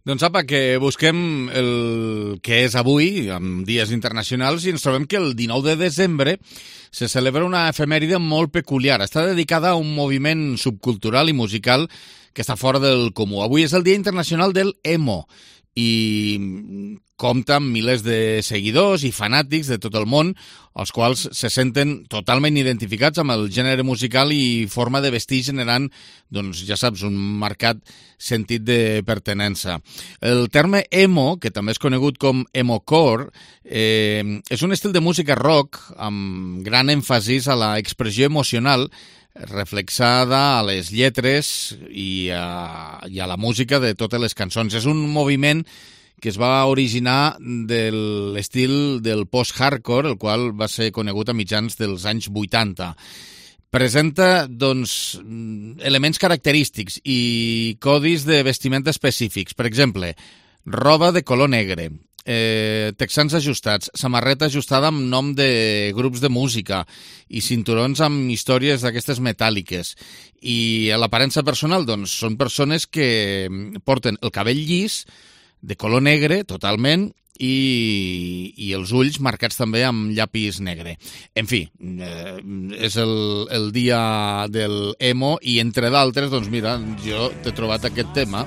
Doncs apa, que busquem el que és avui, amb dies internacionals, i ens trobem que el 19 de desembre se celebra una efemèride molt peculiar. Està dedicada a un moviment subcultural i musical que està fora del comú. Avui és el Dia Internacional del Emo i compta amb milers de seguidors i fanàtics de tot el món, els quals se senten totalment identificats amb el gènere musical i forma de vestir, generant, doncs ja saps, un marcat sentit de pertinença. El terme emo, que també és conegut com emocore, és un estil de música rock amb gran èmfasis a la expressió emocional reflexada a les lletres i a la música de totes les cançons. És un moviment que es va originar de l'estil del post-hardcore, el qual va ser conegut a mitjans dels anys 80. Presenta, doncs, elements característics i codis de vestimenta específics. Per exemple, roba de color negre, texans ajustats, samarreta ajustada amb nom de grups de música i cinturons amb històries d'aquestes metàl·liques. I a l'aparença personal, doncs, són persones que porten el cabell llis, de color negre, totalment, i els ulls marcats també amb llapis negre. En fi, és el dia del emo i, entre d'altres, doncs mira, jo t'he trobat aquest tema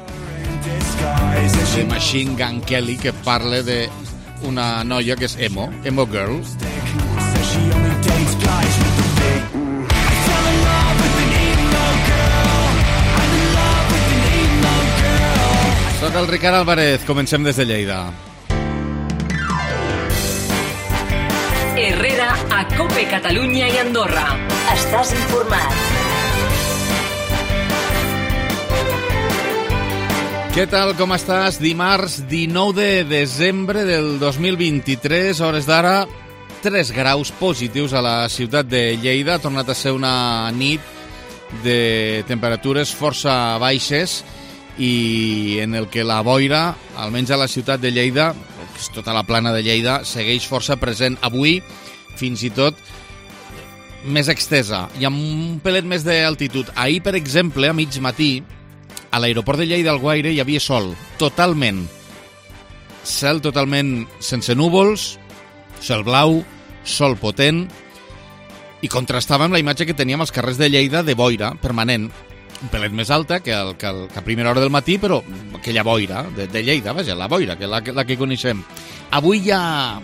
de Machine Gun Kelly, que parla d'una noia que és emo girl. Soc el Ricard Álvarez, comencem des de Lleida. Herrera a COPE Catalunya i Andorra. Estàs informat. Què tal, com estàs? Dimarts 19 de desembre del 2023, hores d'ara, 3 graus positius a la ciutat de Lleida. Ha tornat a ser una nit de temperatures força baixes i en el que la boira, almenys a la ciutat de Lleida, que és tota la plana de Lleida, segueix força present avui, fins i tot més extesa i amb un pelet més d'altitud. Ahir, per exemple, a mig matí, a l'aeroport de Lleida Alguaire hi havia sol, totalment. Cel totalment sense núvols, cel blau, sol potent, i contrastava amb la imatge que teníem als carrers de Lleida de boira permanent, un pelet més alta que a primera hora del matí, però aquella boira de Lleida, vaja, la boira, que la que coneixem. Avui ja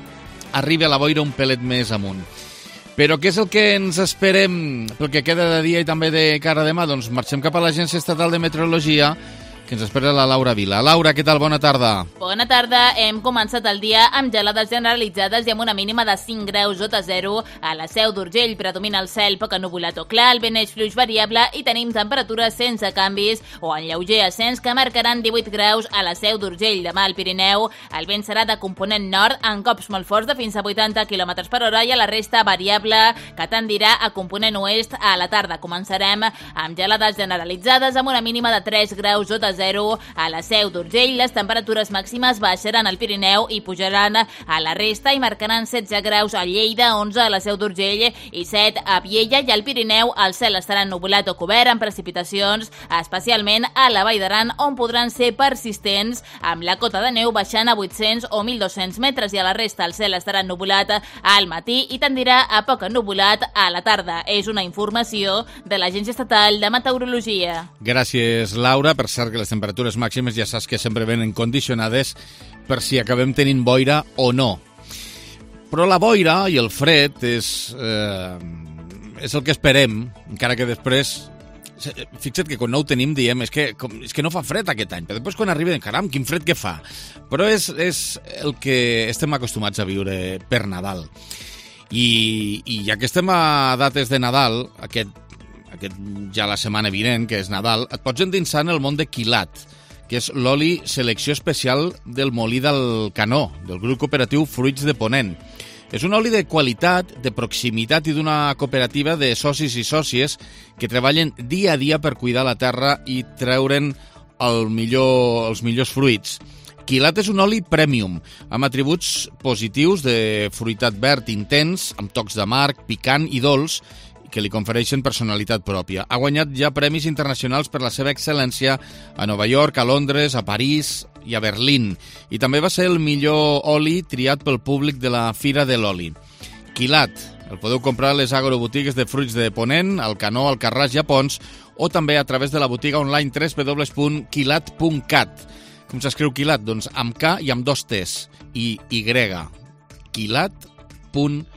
arriba la boira un pelet més amunt. Però què és el que ens esperem pel que queda de dia i també de cara a demà? Doncs marxem cap a l'Agència Estatal de Meteorologia, que ens espera la Laura Vila. Laura, què tal? Bona tarda. Bona tarda. Hem començat el dia amb gelades generalitzades i amb una mínima de 5 graus sota zero. A la Seu d'Urgell predomina el cel poc ennuvolat o clar, el vent és fluix variable i tenim temperatures sense canvis o en lleuger ascens que marcaran 18 graus a la Seu d'Urgell. Demà al Pirineu el vent serà de component nord en cops molt forts de fins a 80 km per hora i a la resta variable que tendirà a component oest. A la tarda començarem amb gelades generalitzades amb una mínima de 3 graus sota zero a la Seu d'Urgell. Les temperatures màximes baixaran al Pirineu i pujaran a la resta i marcaran 16 graus a Lleida, 11 a la Seu d'Urgell i 7 a Viella, i al Pirineu el cel estarà ennuvolat o cobert amb precipitacions, especialment a la Vall d'Aran, on podran ser persistents, amb la cota de neu baixant a 800 o 1.200 metres, i a la resta el cel estarà ennuvolat al matí i tendirà a poc ennuvolat a la tarda. És una informació de l'Agència Estatal de Meteorologia. Gràcies, Laura. Per cert, que les temperatures màximes ja saps que sempre venen condicionades per si acabem tenint boira o no. Però la boira i el fred és el que esperem, encara que després, fixa't que quan no ho tenim diem és que no fa fred aquest any, però després quan arriba, caram, quin fred que fa. Però és el que estem acostumats a viure per Nadal. I ja que estem a dates de Nadal, aquest ja la setmana vinent, que és Nadal, et pots endinsar en el món de quilat, que és l'oli selecció especial del Molí del Canó, del grup cooperatiu Fruits de Ponent. És un oli de qualitat, de proximitat i d'una cooperativa de socis i sòcies que treballen dia a dia per cuidar la terra i treure'n els millors fruits. Quilat és un oli premium, amb atributs positius de fruitat verd intens, amb tocs d'amarg, picant i dolç, que li confereixen personalitat pròpia. Ha guanyat ja premis internacionals per la seva excel·lència a Nova York, a Londres, a París i a Berlín. I també va ser el millor oli triat pel públic de la Fira de l'Oli. Quilat, el podeu comprar a les agrobotigues de fruits de Ponent, al Canó, al Carràs i a Pons, o també a través de la botiga online www.quilat.cat. Com s'escriu Quilat? Doncs amb K i amb 2 T's i Y. Quilat.cat.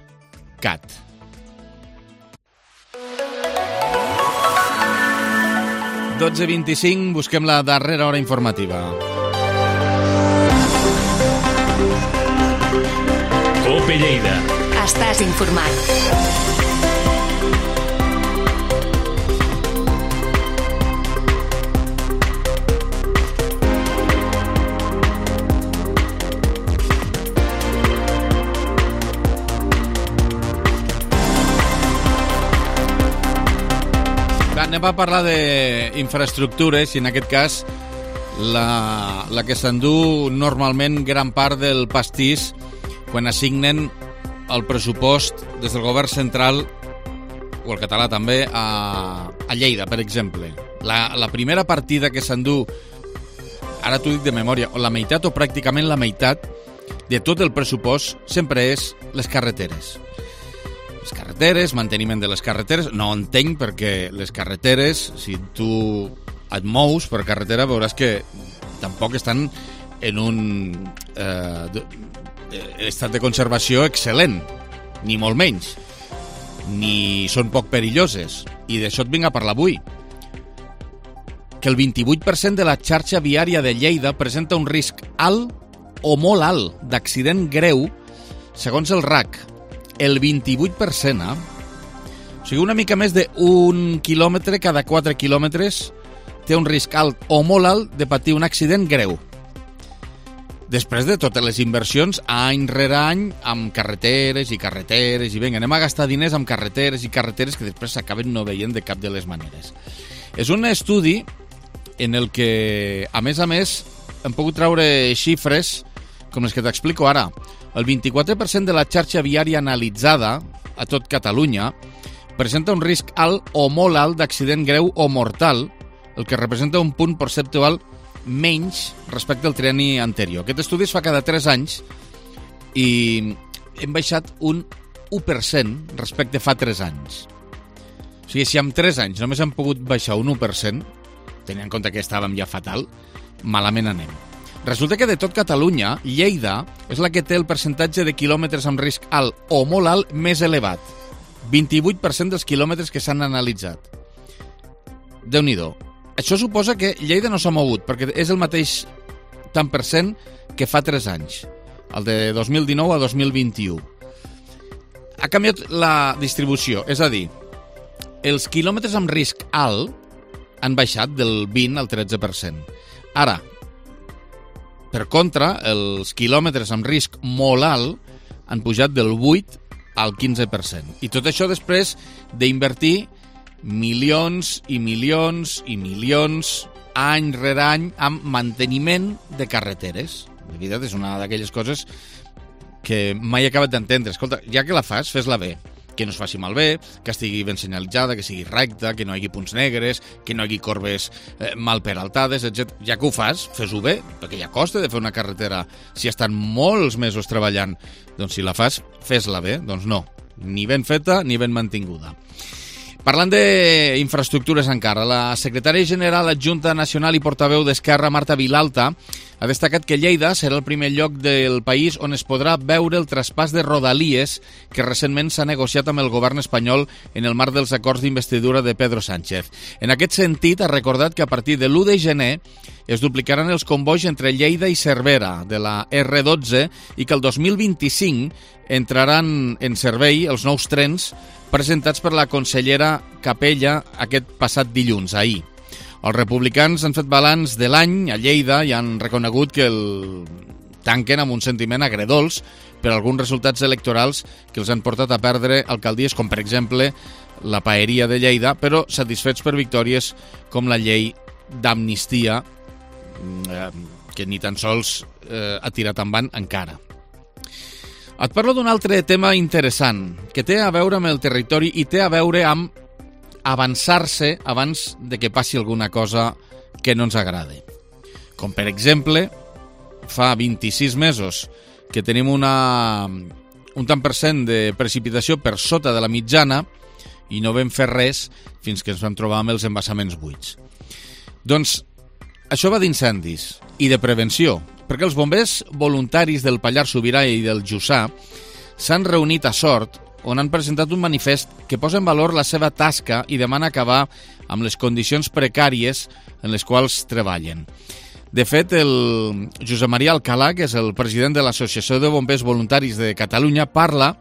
.25, busquem la darrera hora informativa. COPE Lleida. Estàs informat. Anem a parlar d'infraestructures i en aquest cas la que s'endú normalment gran part del pastís quan assignen el pressupost des del govern central o el català també a Lleida, per exemple. La primera partida que s'endú, ara t'ho dic de memòria, o la meitat o pràcticament la meitat de tot el pressupost sempre és les carreteres. Les carreteres, manteniment de les carreteres, no entenc perquè les carreteres, si tu et mous per carretera veuràs que tampoc estan en un estat de conservació excel·lent, ni molt menys, ni són poc perilloses. I d'això et vinc a parlar avui. Que el 28% de la xarxa viària de Lleida presenta un risc alt o molt alt d'accident greu, segons el RAC. El 28%, O sigui, una mica més d'un quilòmetre cada 4 quilòmetres té un risc alt o molt alt de patir un accident greu. Després de totes les inversions, any rere any, amb carreteres, i vinga, anem a gastar diners amb carreteres que després s'acaben no veient de cap de les maneres. És un estudi en el que, a més, hem pogut treure xifres com les que t'explico ara. El 24% de la xarxa viària analitzada a tot Catalunya presenta un risc alt o molt alt d'accident greu o mortal, el que representa un punt perceptual menys respecte al trienni anterior. Aquest estudi es fa cada 3 anys i hem baixat un 1% respecte fa 3 anys. O sigui, si en 3 anys només hem pogut baixar un 1%, tenint en compte que estàvem ja fatal, malament anem. Resulta que de tot Catalunya, Lleida és la que té el percentatge de quilòmetres amb risc alt o molt alt més elevat. 28% dels quilòmetres que s'han analitzat. Déu-n'hi-do. Això suposa que Lleida no s'ha mogut, perquè és el mateix tant per cent que fa 3 anys, el de 2019 a 2021. Ha canviat la distribució, és a dir, els quilòmetres amb risc alt han baixat del 20 al 13%. Ara, per contra, els quilòmetres amb risc molt alt han pujat del 8 al 15%. I tot això després d'invertir milions i milions i milions any rere any amb manteniment de carreteres. De veritat, és una d'aquelles coses que mai he acabat d'entendre. Escolta, ja que la fas, fes-la bé. Que no es faci malbé, que estigui ben senyalitzada, que sigui recta, que no hi hagi punts negres, que no hi hagi corbes mal peraltades, etc. Ja que ho fas, fes-ho bé, perquè ja costa de fer una carretera si estan molts mesos treballant. Doncs si la fas, fes-la bé. Doncs no, ni ben feta ni ben mantinguda. Parlant d'infraestructures encara, la secretària general adjunta nacional i portaveu d'Esquerra, Marta Vilalta, ha destacat que Lleida serà el primer lloc del país on es podrà veure el traspàs de Rodalies que recentment s'ha negociat amb el govern espanyol en el marc dels acords d'investidura de Pedro Sánchez. En aquest sentit, ha recordat que a partir de l'1 de gener es duplicaran els convois entre Lleida i Cervera de la R12 i que el 2025 entraran en servei els nous trens presentats per la consellera Capella aquest passat dilluns, ahir. Els republicans han fet balanç de l'any a Lleida i han reconegut que el tanquen amb un sentiment agredolç per alguns resultats electorals que els han portat a perdre alcaldies com, per exemple, la Paeria de Lleida, però satisfets per victòries com la llei d'amnistia, que ni tan sols ha tirat endavant encara. Et parlo d'un altre tema interessant, que té a veure amb el territori i té a veure amb avançar-se abans de que passi alguna cosa que no ens agrade. Com, per exemple, fa 26 mesos que tenim un tant per cent de precipitació per sota de la mitjana i no vam fer res fins que ens vam trobar amb els embassaments buits. Doncs això va d'incendis i de prevenció, perquè els bombers voluntaris del Pallars Sobirà i del Jussà s'han reunit a Sort, on han presentat un manifest que posa en valor la seva tasca i demana acabar amb les condicions precàries en les quals treballen. De fet, el Josep Maria Alcalà, que és el president de l'Associació de Bombers Voluntaris de Catalunya, parla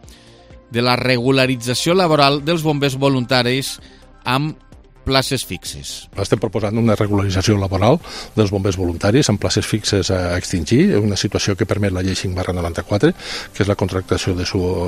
de la regularització laboral dels bombers voluntaris amb places fixes. Estem proposant una regularització laboral dels bombers voluntaris amb places fixes a extingir, una situació que permet la llei 5/94, que és la contractació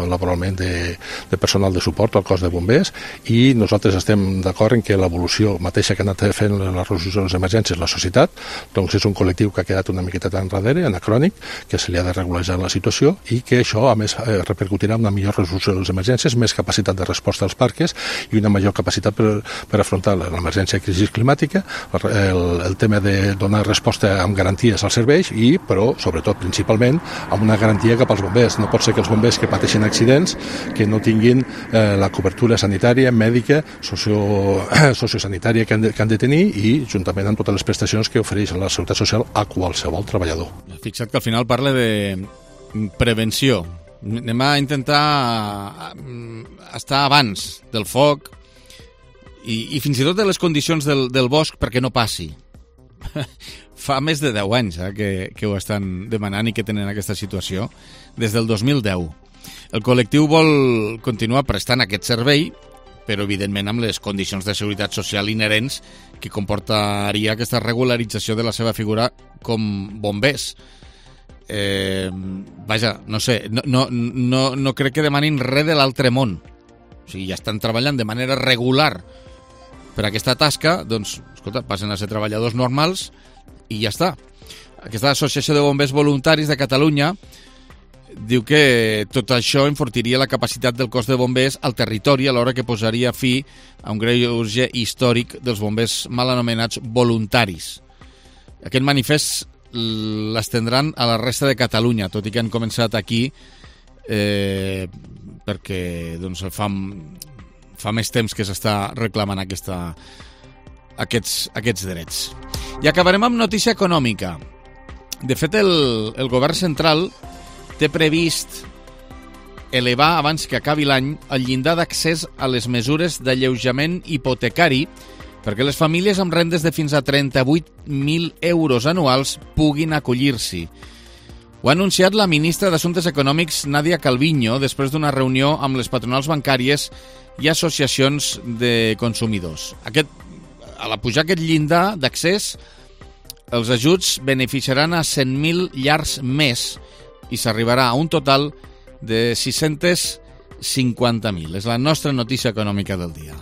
laboralment de personal de suport al cos de bombers, i nosaltres estem d'acord en que l'evolució mateixa que ha anat fent la resolució de les emergències la societat, doncs és un col·lectiu que ha quedat una miqueta enrere, anacrònic, que se li ha de regularitzar la situació i que això, a més, repercutirà en una millor resolució de les emergències, més capacitat de resposta als parques i una major capacitat per afrontar l'emergència de crisi climàtica, el tema de donar resposta amb garanties als serveis i, però, sobretot, principalment, amb una garantia cap als bombers. No pot ser que els bombers que pateixen accidents que no tinguin la cobertura sanitària, mèdica, sociosanitària que han de tenir i, juntament amb totes les prestacions que ofereix la Seguretat Social a qualsevol treballador. Fixa't que al final parla de prevenció. Anem a intentar estar abans del foc i fins i tot de les condicions del bosc perquè no passi. Fa més de 10 anys que ho estan demanant i que tenen aquesta situació, des del 2010. El col·lectiu vol continuar prestant aquest servei, però evidentment amb les condicions de seguretat social inherents que comportaria aquesta regularització de la seva figura com bombers. Vaja, no sé, no crec que demanin res de l'altre món. O sigui, ja estan treballant de manera regular per aquesta tasca, doncs, escolta, passen a ser treballadors normals i ja està. Aquesta Associació de Bombers Voluntaris de Catalunya diu que tot això enfortiria la capacitat del cos de bombers al territori alhora que posaria fi a un greuge històric dels bombers mal anomenats voluntaris. Aquest manifest l'estendran a la resta de Catalunya, tot i que han començat aquí perquè doncs, fa més temps que s'està reclamant aquests drets. I acabarem amb notícia econòmica. De fet, el govern central té previst elevar abans que acabi l'any el llindar d'accés a les mesures d'alleujament hipotecari perquè les famílies amb rendes de fins a 38.000 euros anuals puguin acollir-s'hi. Ho ha anunciat la ministra d'Assumptes Econòmics, Nadia Calviño, després d'una reunió amb les patronals bancàries i associacions de consumidors. A la pujar aquest llindar d'accés, els ajuts beneficiaran a 100.000 llars més i s'arribarà a un total de 650.000. És la nostra notícia econòmica del dia.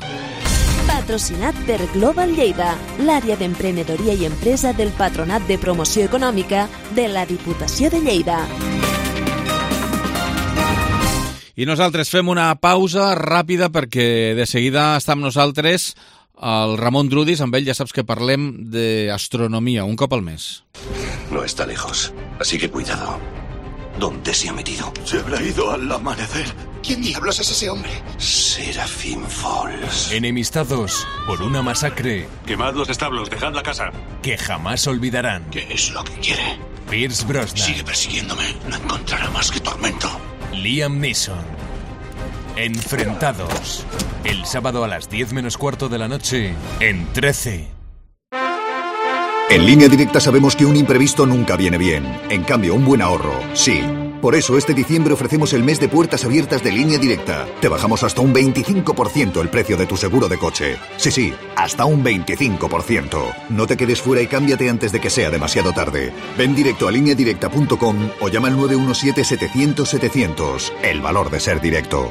Patrocinat per Global Lleida, l'àrea d'emprenedoria i empresa del Patronat de Promoció Econòmica de la Diputació de Lleida. I nosaltres fem una pausa ràpida perquè de seguida està amb nosaltres el Ramon Drudis. Amb ell ja saps que parlem d'astronomia un cop al mes. No está lejos, así que cuidado. ¿Dónde se ha metido? Se habrá ido al amanecer. ¿Quién diablos es ese hombre? Serafín Falls. Enemistados por una masacre Quemad los establos, dejad la casa. que jamás olvidarán. ¿Qué es lo que quiere? Pierce Brosnan, Sigue persiguiéndome. No encontrará más que tormento. Liam Neeson. Enfrentados. El sábado a las 10 menos cuarto de la noche en 13. En Línea Directa sabemos que un imprevisto nunca viene bien. En cambio, un buen ahorro, sí. Por eso, este diciembre ofrecemos el mes de puertas abiertas de Línea Directa. Te bajamos hasta un 25% el precio de tu seguro de coche. Sí, hasta un 25%. No te quedes fuera y cámbiate antes de que sea demasiado tarde. Ven directo a lineadirecta.com o llama al 917-700-700. El valor de ser directo.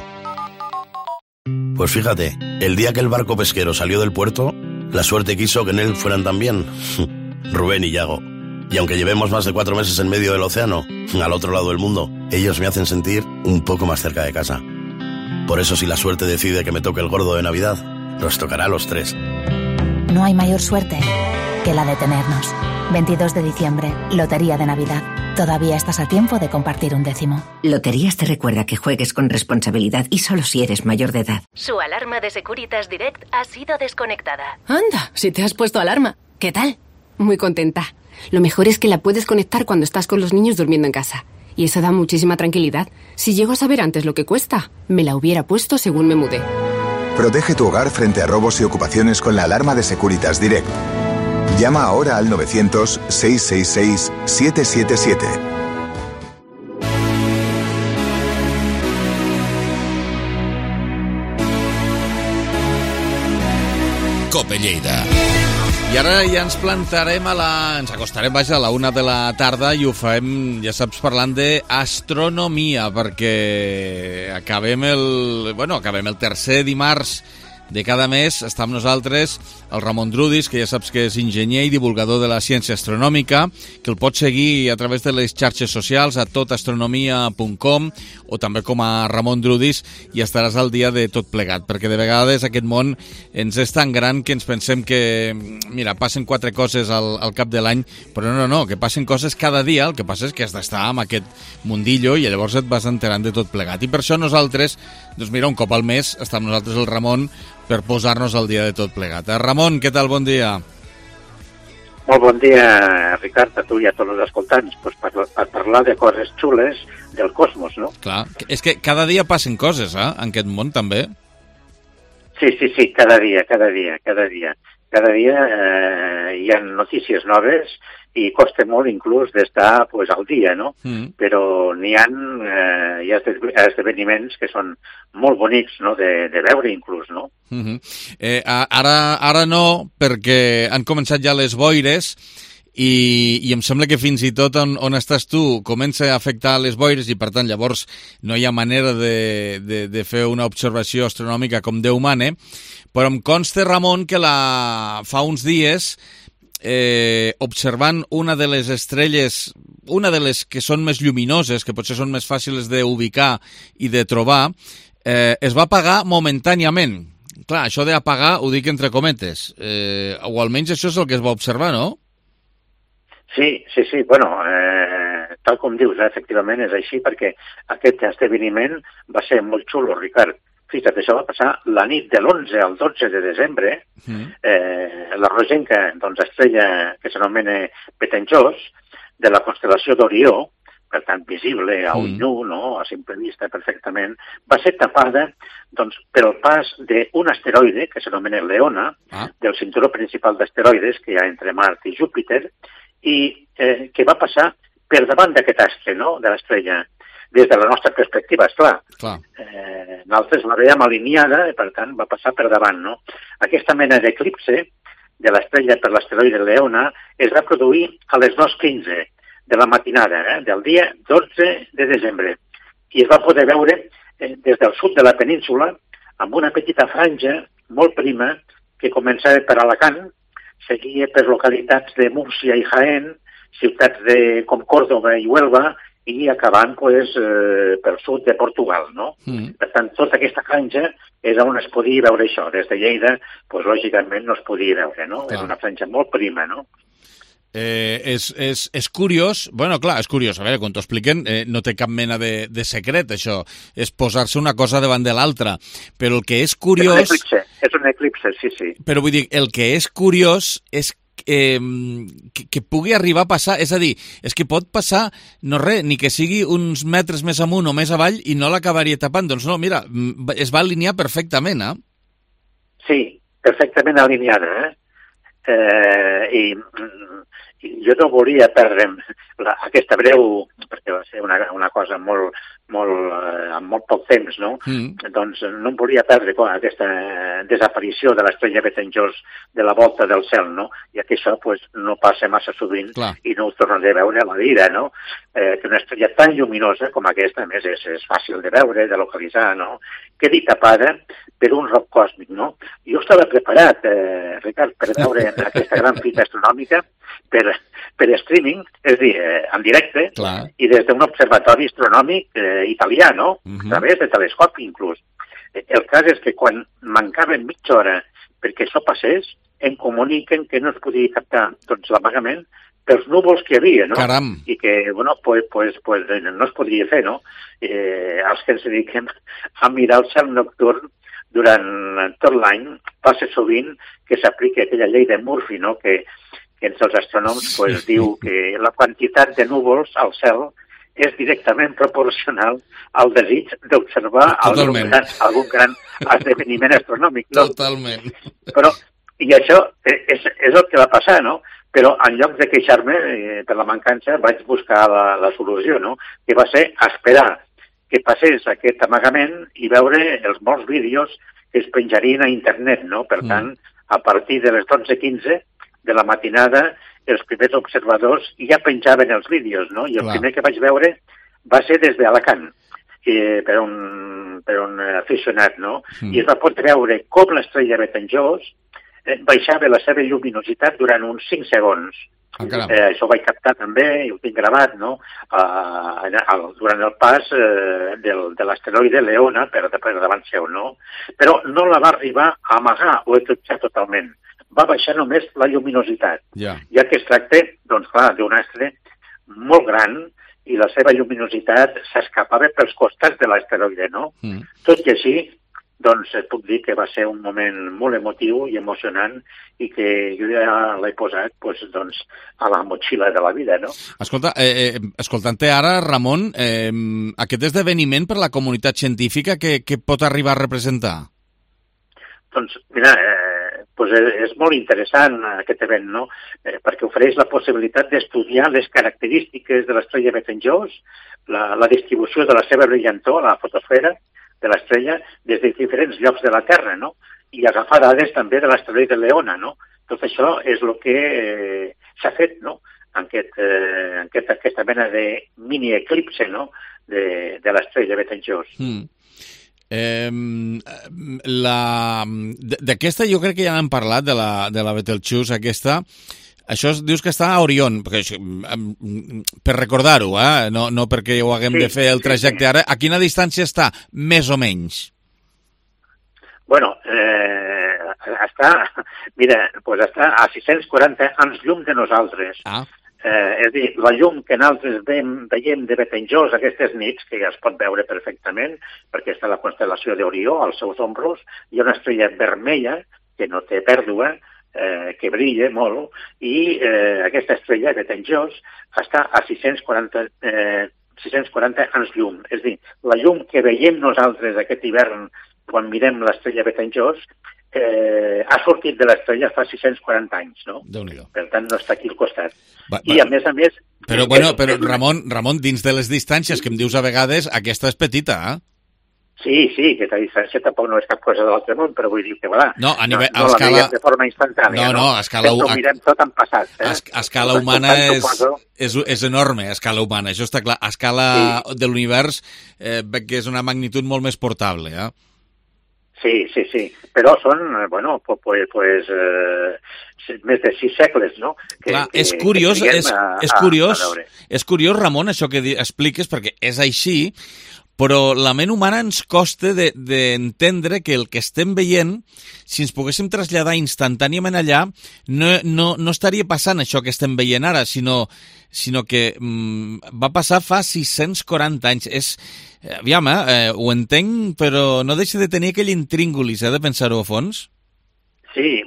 Pues fíjate, el día que el barco pesquero salió del puerto, la suerte quiso que en él fueran también Rubén y Yago. Y aunque llevemos más de 4 meses en medio del océano, al otro lado del mundo, Ellos me hacen sentir un poco más cerca de casa. Por eso si la suerte decide que me toque el gordo de Navidad, nos tocará a los 3. No hay mayor suerte que la de tenernos. 22 de diciembre, Lotería de Navidad. Todavía estás a tiempo de compartir un décimo. Loterías te recuerda que juegues con responsabilidad y solo si eres mayor de edad. Su alarma de Securitas Direct ha sido desconectada. Anda, si te has puesto alarma. ¿Qué tal? Muy contenta. Lo mejor es que la puedes conectar cuando estás con los niños durmiendo en casa. Y eso da muchísima tranquilidad. Si llego a saber antes lo que cuesta, me la hubiera puesto según me mudé. Protege tu hogar frente a robos y ocupaciones con la alarma de Securitas Direct. Llama ahora al 900-666-777. Cope Lleida. I ara ja ens plantarem ens acostarem, vaja, a la 1 de la tarda i ho farem, ja saps, parlant d'astronomia, perquè acabem el tercer dimarts de cada mes. Està amb nosaltres el Ramon Drudis, que ja saps que és enginyer i divulgador de la ciència astronòmica, que el pots seguir a través de les xarxes socials a totastronomia.com o també com a Ramon Drudis, i estaràs al dia de tot plegat, perquè de vegades aquest món ens és tan gran que ens pensem que, mira, passen 4 coses al cap de l'any, però no, que passen coses cada dia. El que passa és que has d'estar amb aquest mundillo i llavors et vas enterant de tot plegat. I per això nosaltres, doncs mira, un cop al mes està amb nosaltres el Ramon per posar-nos al dia de tot plegat. Ramon, què tal? Bon dia. Molt bon dia, Ricard, a tu i a tots els escoltants, pues per parlar de coses xules del cosmos, no? Clar, és que cada dia passen coses, en aquest món també. Sí, cada dia. Cada dia hi ha notícies noves i costa molt inclús d'estar pues, al dia, no? Però hi ha esdeveniments que són molt bonics, no?, de veure inclús, no? Ara no, perquè han començat ja les boires i em sembla que fins i tot on estàs tu comença a afectar les boires i per tant llavors no hi ha manera de fer una observació astronòmica com Déu mane, però em consta, Ramon, que fa uns dies observant una de les estrelles, una de les que són més lluminoses, que potser són més fàcils d'ubicar i de trobar, es va apagar momentàniament. Clar, això d'apagar ho dic entre cometes, o almenys això és el que es va observar, no? Sí, bueno, tal com dius, efectivament és així, perquè aquest esdeveniment va ser molt xulo, Ricard. Fixa't, això va passar la nit de l'11 al 12 de desembre. La rogenca, doncs, estrella que s'anomena Betelgeuse, de la constel·lació d'Orió, per tant, visible a ull nu, no?, a simple vista perfectament, va ser tapada doncs, pel pas d'un asteroide que s'anomena Leona, del cinturó principal d'asteroides que hi ha entre Mart i Júpiter, i que va passar per davant d'aquest astre, no?, de l'estrella. Des de la nostra perspectiva, esclar. Nosaltres la veiem alineada i, per tant, va passar per davant, no? Aquesta mena d'eclipse de l'estrella per l'asteroide Leona es va produir a les 2:15 de la matinada, del dia 12 de desembre. I es va poder veure des del sud de la península amb una petita franja molt prima que començava per Alacant, seguia per localitats de Múrcia i Jaén, ciutats com Còrdova i Huelva, i acabant pel sud de Portugal, no? Per tant, tota aquesta franja és on es podia veure això. Des de Lleida, lògicament, no es podia veure, no? És una franja molt prima, no? És curiós, bueno, clar, és curiós, a veure, quan t'ho expliquen no té cap mena de secret, això, és posar-se una cosa davant de l'altra, però el que és curiós... És un eclipse, sí. Però vull dir, el que és curiós és que pugui arribar a passar, és a dir, és que pot passar, no res, ni que sigui uns metres més amunt o més avall i no l'acabaria tapant, doncs no, mira, es va alinear perfectament, Sí, perfectament alineada, i jo no volia perdre aquesta breu, perquè va ser una cosa amb molt poc temps, no? Doncs no em volia perdre aquesta desaparició de l'estrella Betelgeuse de la volta del cel, no? Ja que això no passa massa sovint i no ho tornaré a veure a la vida, no? Que una estrella tan lluminosa com aquesta, a més, és fàcil de veure, de localitzar, no? Quedi tapada per un roc còsmic, no? Jo estava preparat, Ricard, per veure aquesta gran fita astronòmica per streaming, és a dir, en directe, Clar. i des d'un observatori astronòmic italià, no? A través de telescopi, inclús. El cas és que quan mancava mitja hora perquè això passés, em comuniquen que no es podia captar l'amagament pels núvols que hi havia, no? Caram. I que, bueno, pues no es podria fer, no? Els que ens dediquem a mirar el cel nocturn durant tot l'any, passa sovint que s'aplica aquella llei de Murphy, no? Que entre els astrònoms pues, diu que la quantitat de núvols al cel és directament proporcional al desig d'observar algun gran esdeveniment astronòmic. No? Totalment. Però, i això és el que va passar, no? Però en lloc de queixar-me per la mancança vaig buscar la solució, no? Que va ser esperar que passés aquest amagament i veure els molts vídeos que es penjarien a internet, no? Per tant, a partir de les 12:15 de la matinada, els primers observadors ja penjaven els vídeos, no? I el primer que vaig veure va ser des d'Alacant, per un aficionat, no? I es va poder veure com l'estrella Betelgeuse baixava la seva lluminositat durant uns 5 segons. Això ho vaig captar també, i ho tinc gravat, no? Durant el pas de l'asteroide Leona per davant seu, no? Però no la va arribar a amagar o eclipsar totalment. Va baixar només la lluminositat, ja que es tracta, doncs clar, d'un astre molt gran i la seva lluminositat s'escapava pels costats de l'asteroide, no? Tot i així, doncs puc dir que va ser un moment molt emotiu i emocionant i que jo ja l'he posat doncs, a la motxilla de la vida, no? Escolta, escoltant-te ara, Ramon, aquest esdeveniment per la comunitat científica, què pot arribar a representar? Doncs, mira, és molt interessant aquest event, no? Perquè ofereix la possibilitat d'estudiar les característiques de l'estrella Betelgeuse, la distribució de la seva brillantor, la fotosfera de l'estrella, des de diferents llocs de la Terra, no? I agafar dades també de l'asteroide Leona, no? Tot això és el que s'ha fet, no? En aquesta mena de mini-eclipse, no? De l'estrella Betelgeuse. D'aquesta jo crec que ja n'hem parlat, de la Betelgeuse aquesta. Això dius que està a Orion, per recordar-ho, no perquè ho haguem de fer el trajecte ara. A quina distància està, més o menys? Bueno, està a 640 anys llum de nosaltres. És a dir, la llum que nosaltres veiem de Betelgeuse aquestes nits, que ja es pot veure perfectament, perquè està la constel·lació d'Orió, als seus ombros, hi ha una estrella vermella que no té pèrdua, que brilla molt, i aquesta estrella, Betelgeuse, està a 640 anys llum. És a dir, la llum que veiem nosaltres aquest hivern quan mirem l'estrella Betelgeuse ha sortit de l'estrella fa 640 anys, no? Déu-n'hi-do. Per tant, no està aquí al costat. I a més a més... Però Ramon, dins de les distàncies que em dius a vegades, aquesta és petita, Sí, aquesta distància tampoc no és cap cosa de l'altre món, però vull dir que, voilà, no la veiem de forma instantània, no? A escala humana... Ho mirem tot en passat, A escala humana és enorme, a escala humana, això està clar. A escala de l'univers, que és una magnitud molt més portable, Sí, però són, més de 6 segles, no? Clar, és curiós, Ramon, això que expliques, perquè és així, però la ment humana ens costa d'entendre que el que estem veient, si ens poguéssim traslladar instantàniament allà, no estaria passant això que estem veient ara, sinó que va passar fa 640 anys. Aviam, ho entenc, però no deixa de tenir aquell intríngulis, de pensar-ho a fons. Sí,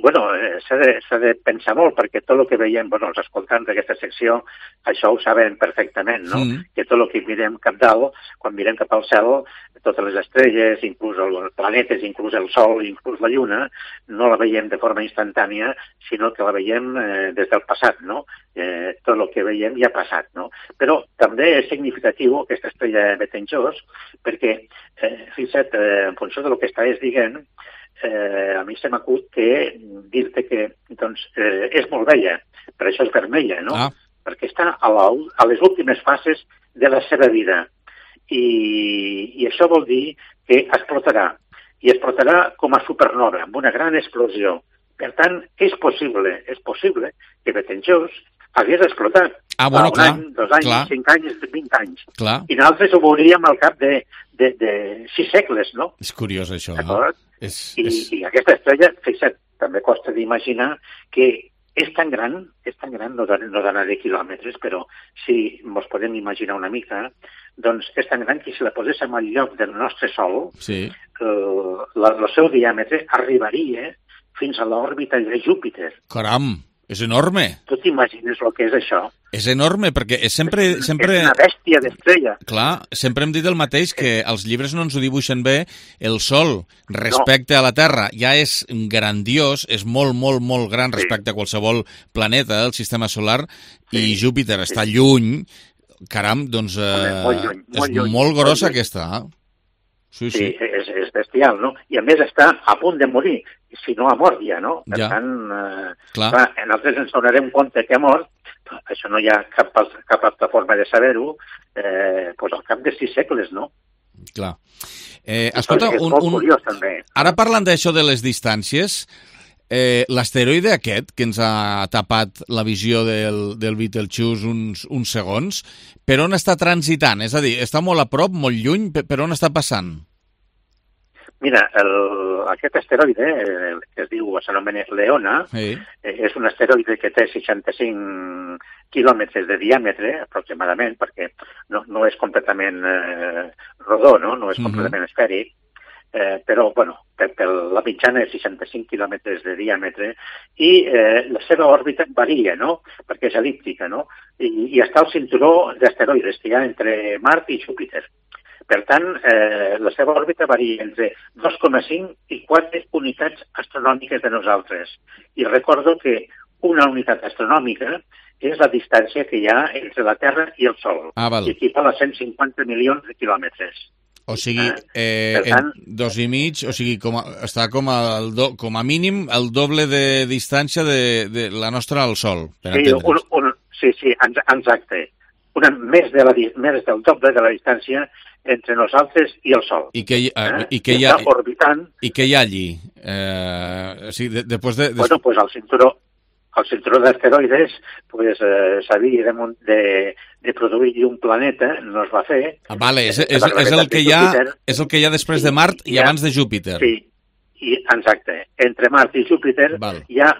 s'ha de pensar molt, perquè tot el que veiem, els escoltants d'aquesta secció, això ho saben perfectament, no? Que tot el que mirem cap dalt, quan mirem cap al cel, totes les estrelles, inclús els planetes, inclús el Sol, inclús la Lluna, no la veiem de forma instantània, sinó que la veiem des del passat, no? Tot el que veiem ja ha passat, no? Però també és significatiu aquesta estrella Betelgeuse, perquè, fixa't, en funció del que estàs dient, a mi se m'acut que dir-te que és molt vella, per això és vermella, no? Perquè està a les últimes fases de la seva vida. I això vol dir que explotarà, i explotarà com a supernova, amb una gran explosió. Per tant, és possible que Betelgeuse hagués explotat. Bueno, un any, 2 anys, 5 anys, 20 anys. Clar. I nosaltres ho veuríem al cap de 6 segles, no? És curiós, això. D'acord? I aquesta estrella, fixa't, també costa d'imaginar que és tan gran, no donaré quilòmetres, però si ens podem imaginar una mica, doncs és tan gran que si la poséssim al lloc del nostre Sol, el seu diàmetre arribaria fins a l'òrbita de Júpiter. Caram, és enorme. Tu t'imagines el que és això? És enorme, perquè sempre... És una bèstia d'estrella. Clar, sempre hem dit el mateix, que els llibres no ens ho dibuixen bé. El Sol, respecte a la Terra, ja és grandiós, és molt, molt, molt gran respecte a qualsevol planeta del sistema solar, i Júpiter està lluny. Caram, doncs és molt grossa aquesta. Sí, és bestial, no? I a més està a punt de morir, si no ha mort ja, no? Per tant, nosaltres ens donarem compte que ha mort, això no hi ha cap altra forma de saber-ho, al cap de 6 segles, no? Clar. Escolta, és molt curiós, també. Ara parlant d'això de les distàncies, l'asteroide aquest, que ens ha tapat la visió del Betelgeuse uns segons, per on està transitant? És a dir, està molt a prop, molt lluny, per on està passant? Mira, aquest asteroide, que es diu, s'anomena Leona, és un asteroide que té 65 quilòmetres de diàmetre, aproximadament, perquè no és completament rodó, no és completament esfèric, però, per la mitjana és 65 quilòmetres de diàmetre, i la seva òrbita varia, no?, perquè és el·líptica, no?, i està al cinturó d'asteroides que hi ha entre Mart i Júpiter. Per tant, la seva òrbita varia entre 2,5 i 4 unitats astronòmiques de nosaltres. I recordo que una unitat astronòmica és la distància que hi ha entre la Terra i el Sol, i equival a 150 milions de quilòmetres. O sigui, 2,5, o sigui, està com a mínim el doble de distància de la nostra al Sol, per entendre's. Sí, exacte. Més del doble de la distància entre nosaltres i el Sol. I què hi ha allí? Bueno, pues al cinturó d'asteroides s'havia de produir un planeta, no es va fer. Vale, és el que hi ha després de Mart i abans de Júpiter. Sí, exacte. Entre Mart i Júpiter hi ha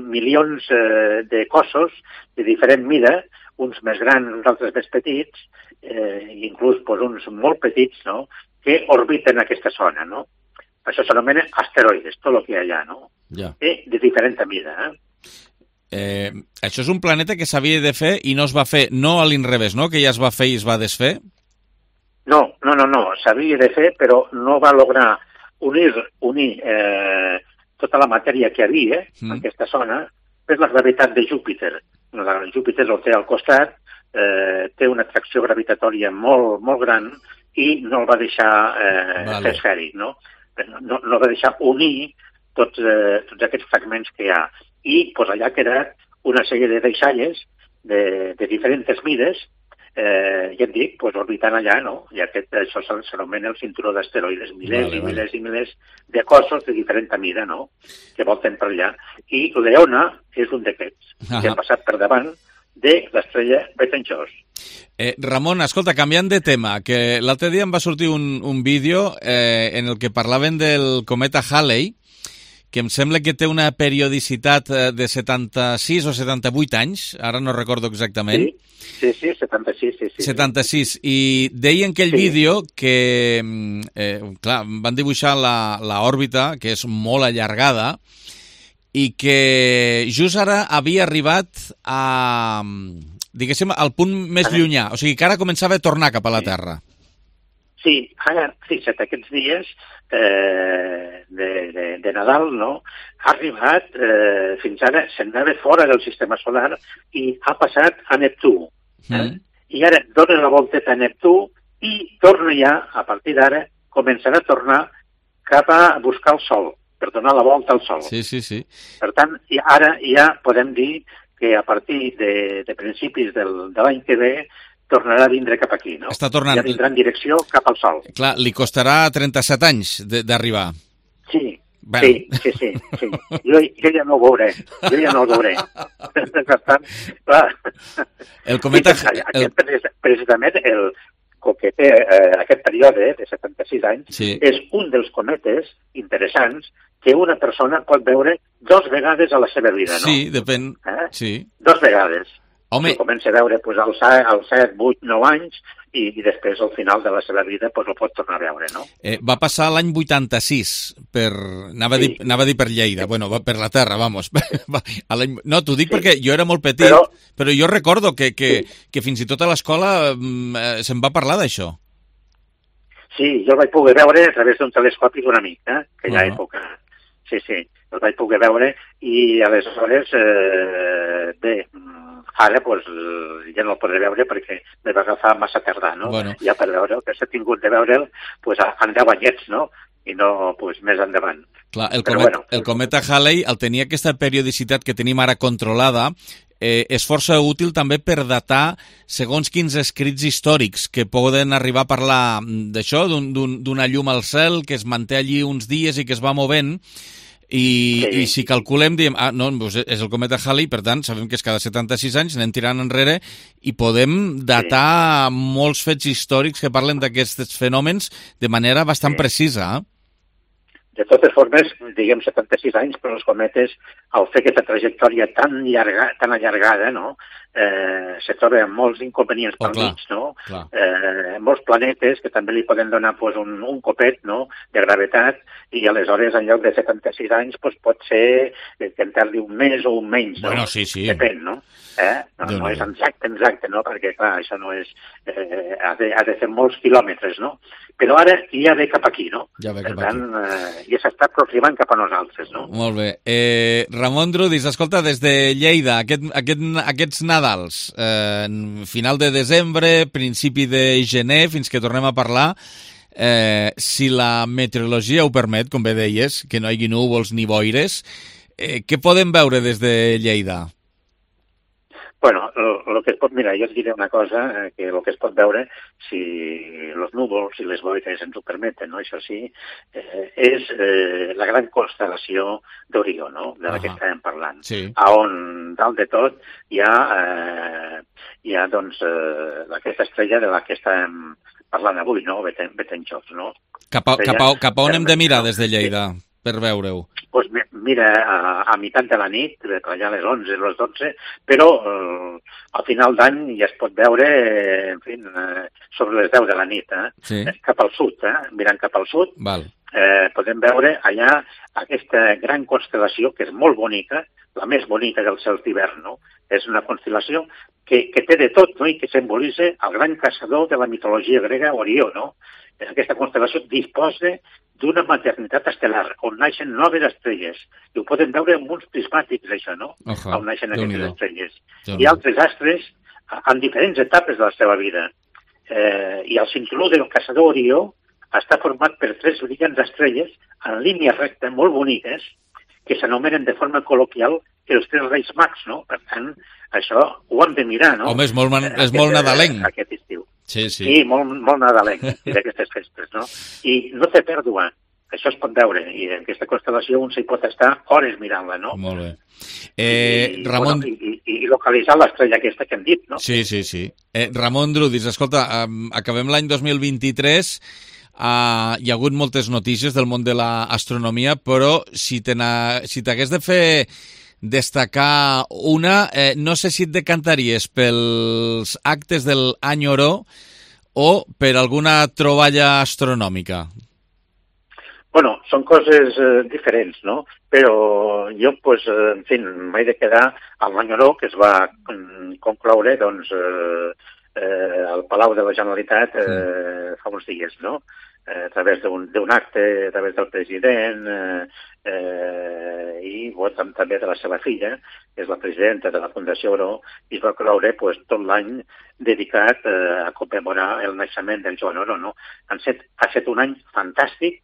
milions de cossos de diferent mida, uns més grans, uns altres més petits, inclús uns molt petits, no?, que orbiten aquesta zona, no? Això s'anomena asteroides, tot el que hi ha allà, no? De diferent mida, Això és un planeta que s'havia de fer i no es va fer, no a l'inrevés, no?, que ja es va fer i es va desfer? No, s'havia de fer, però no va lograr unir tota la matèria que hi havia en aquesta zona per la gravetat de Júpiter. Júpiter el té al costat, té una atracció gravitatòria molt, molt gran i no el va deixar fer esfèric, no? No va deixar unir tots aquests fragments que hi ha. I allà ha quedat una sèrie de deixalles de diferents mides, ja et dic, orbitant allà, no? I això s'anomena el cinturó d'asteroides, milers i milers i milers de cossos de diferent mida, no?, que volten per allà. I Leona és un d'aquests, que ha passat per davant de l'estrella Betelgeuse. Ramon, escolta, canviant de tema, que l'altre dia em va sortir un vídeo en el que parlaven del cometa Halley, que em sembla que té una periodicitat de 76 o 78 anys, ara no recordo exactament. Sí, 76, sí. 76, i deien aquell vídeo que, clar, van dibuixar l'òrbita, que és molt allargada, i que just ara havia arribat a, diguéssim, al punt més llunyà, o sigui que ara començava a tornar cap a la Terra. Sí, ara, fixa't, aquests dies de Nadal, no?, ha arribat, fins ara se'n anava fora del sistema solar i ha passat a Neptú. I ara dona la volteta a Neptú i torna ja, a partir d'ara, començarà a tornar cap a buscar el Sol, per donar la volta al Sol. Sí. Per tant, ara ja podem dir que a partir de principis de l'any que ve tornarà a vindre cap aquí, no? Està tornant. Ja vindrà en direcció cap al Sol. Clar, li costarà 37 anys d'arribar. Sí, Sí. Jo ja no ho veuré. Per tant, clar. El cometa... Precisament, com que té aquest període de 76 anys, és un dels cometes interessants que una persona pot veure 2 vegades a la seva vida, no? Sí, depèn. Sí. 2 vegades. Home... Comença a veure als 7, 8, 9 anys i després al final de la seva vida el pot tornar a veure, no? Va passar l'any 86 anava a dir per Lleida, bueno, per la Terra, vamos. No, t'ho dic perquè jo era molt petit, però jo recordo que fins i tot a l'escola se'n va parlar d'això. Sí, jo el vaig poder veure a través d'un telescopi d'un amic, aquella època. Sí, el vaig poder veure i aleshores, ara ja no el podré veure perquè me va agafar massa tardà, no? Ja per veure'l, que s'ha tingut de veure'l en 10 anyets, no? I no més endavant. Clar, el cometa Halley, al tenir aquesta periodicitat que tenim ara controlada, és força útil també per datar segons quins escrits històrics que poden arribar a parlar d'això, d'una llum al cel que es manté allí uns dies i que es va movent. I si calculem, diem, és el cometa Halley, per tant, sabem que és cada 76 anys, anem tirant enrere i podem datar molts fets històrics que parlen d'aquests fenòmens de manera bastant precisa. De totes formes, diguem 76 anys, però els cometes, al fer aquesta trajectòria tan allargada, no? Se troba amb molts inconvenients pel mig, no? Molts planetes que també li poden donar un copet, no?, de gravetat, i aleshores en lloc de 76 anys pot ser que en tardi un mes o un menys, no? Bueno, sí. Depèn, no? No és exacte, no? Perquè, clar, això no és... ha de fer molts quilòmetres, no? Però ara ja ve cap aquí, no? Per tant, ja s'està aproximant cap a nosaltres, no? Molt bé. Ramon Drudis, escolta, des de Lleida, aquests Nadals, final de desembre, principi de gener, fins que tornem a parlar, si la meteorologia ho permet, com bé deies, que no hi hagi núvols ni boires, què podem veure des de Lleida? Bueno, lo que es pot mirar, jo et diré una cosa, que el que es pot veure, si els núvols i les boires ens ho permeten, no? Això sí, és la gran constel·lació d'Orió, no?, de la que estàvem parlant, on dalt de tot hi ha doncs, aquesta estrella de la que estàvem parlant avui, no?, Betelgeuse, no? Cap a on hem de mirar des de Lleida per veure-ho? Doncs mira, a meitat de la nit, allà a les 11, a les 12, però al final d'any ja es pot veure, en fi, sobre les 10 de la nit, cap al sud, mirant cap al sud, podem veure allà aquesta gran constel·lació que és molt bonica, la més bonica dels cels d'hivern, no? És una constel·lació que té de tot, no?, i que simbolitza el gran caçador de la mitologia grega, Orió, no? Aquesta constel·lació disposa d'una maternitat estel·lar, on naixen noves estrelles. I ho poden veure amb uns prismàtics, això, no? On naixen aquestes estrelles. I altres astres en diferents etapes de la seva vida. I el cinturó del caçador Orió està format per 3 brillants estrelles en línia recta, molt boniques, que s'anomenen de forma col·loquial els 3 Reis Mags, no? Per tant, això ho hem de mirar, no? Home, és molt nadalenc. Aquest estiu. Sí, molt nadalenc, d'aquestes festes, no? I no té pèrdua, això es pot veure, i en aquesta constel·lació un s'hi pot estar hores mirant-la, no? Molt bé. Ramon... I localitzar l'estrella aquesta que hem dit, no? Sí. Ramon Drudis, escolta, acabem l'any 2023, hi ha hagut moltes notícies del món de l'astronomia, però si t'hagués de fer destacar una, no sé si et decantaries pels actes del Any Oró o per alguna troballa astronòmica. Bueno, són coses diferents, no? Però jo, en fi, m'he de quedar amb l'Any Oró, que es va concloure, doncs, al Palau de la Generalitat fa uns dies, no? A través d'un acte, a través del president i també de la seva filla, que és la presidenta de la Fundació Oró, i es va cloure tot l'any dedicat a commemorar el naixement del Joan Oró, no? Ha estat un any fantàstic,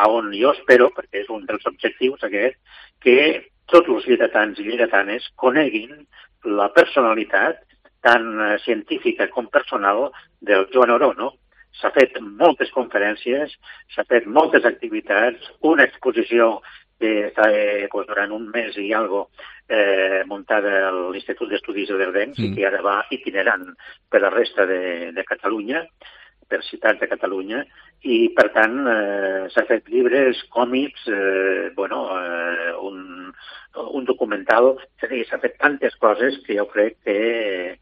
on jo espero, perquè és un dels objectius aquest, que tots els lleidatans i lleidatanes coneguin la personalitat tant científica com personal del Joan Oró, no? s'ha fet moltes conferències, s'ha fet moltes activitats, una exposició que està durant un mes i algo muntada a l'Institut d'Estudis Eldencs i que ara va itinerant per la resta de Catalunya, per ciutats de Catalunya, i per tant s'ha fet llibres, còmics, un documental, és a dir, s'ha fet tantes coses que jo crec que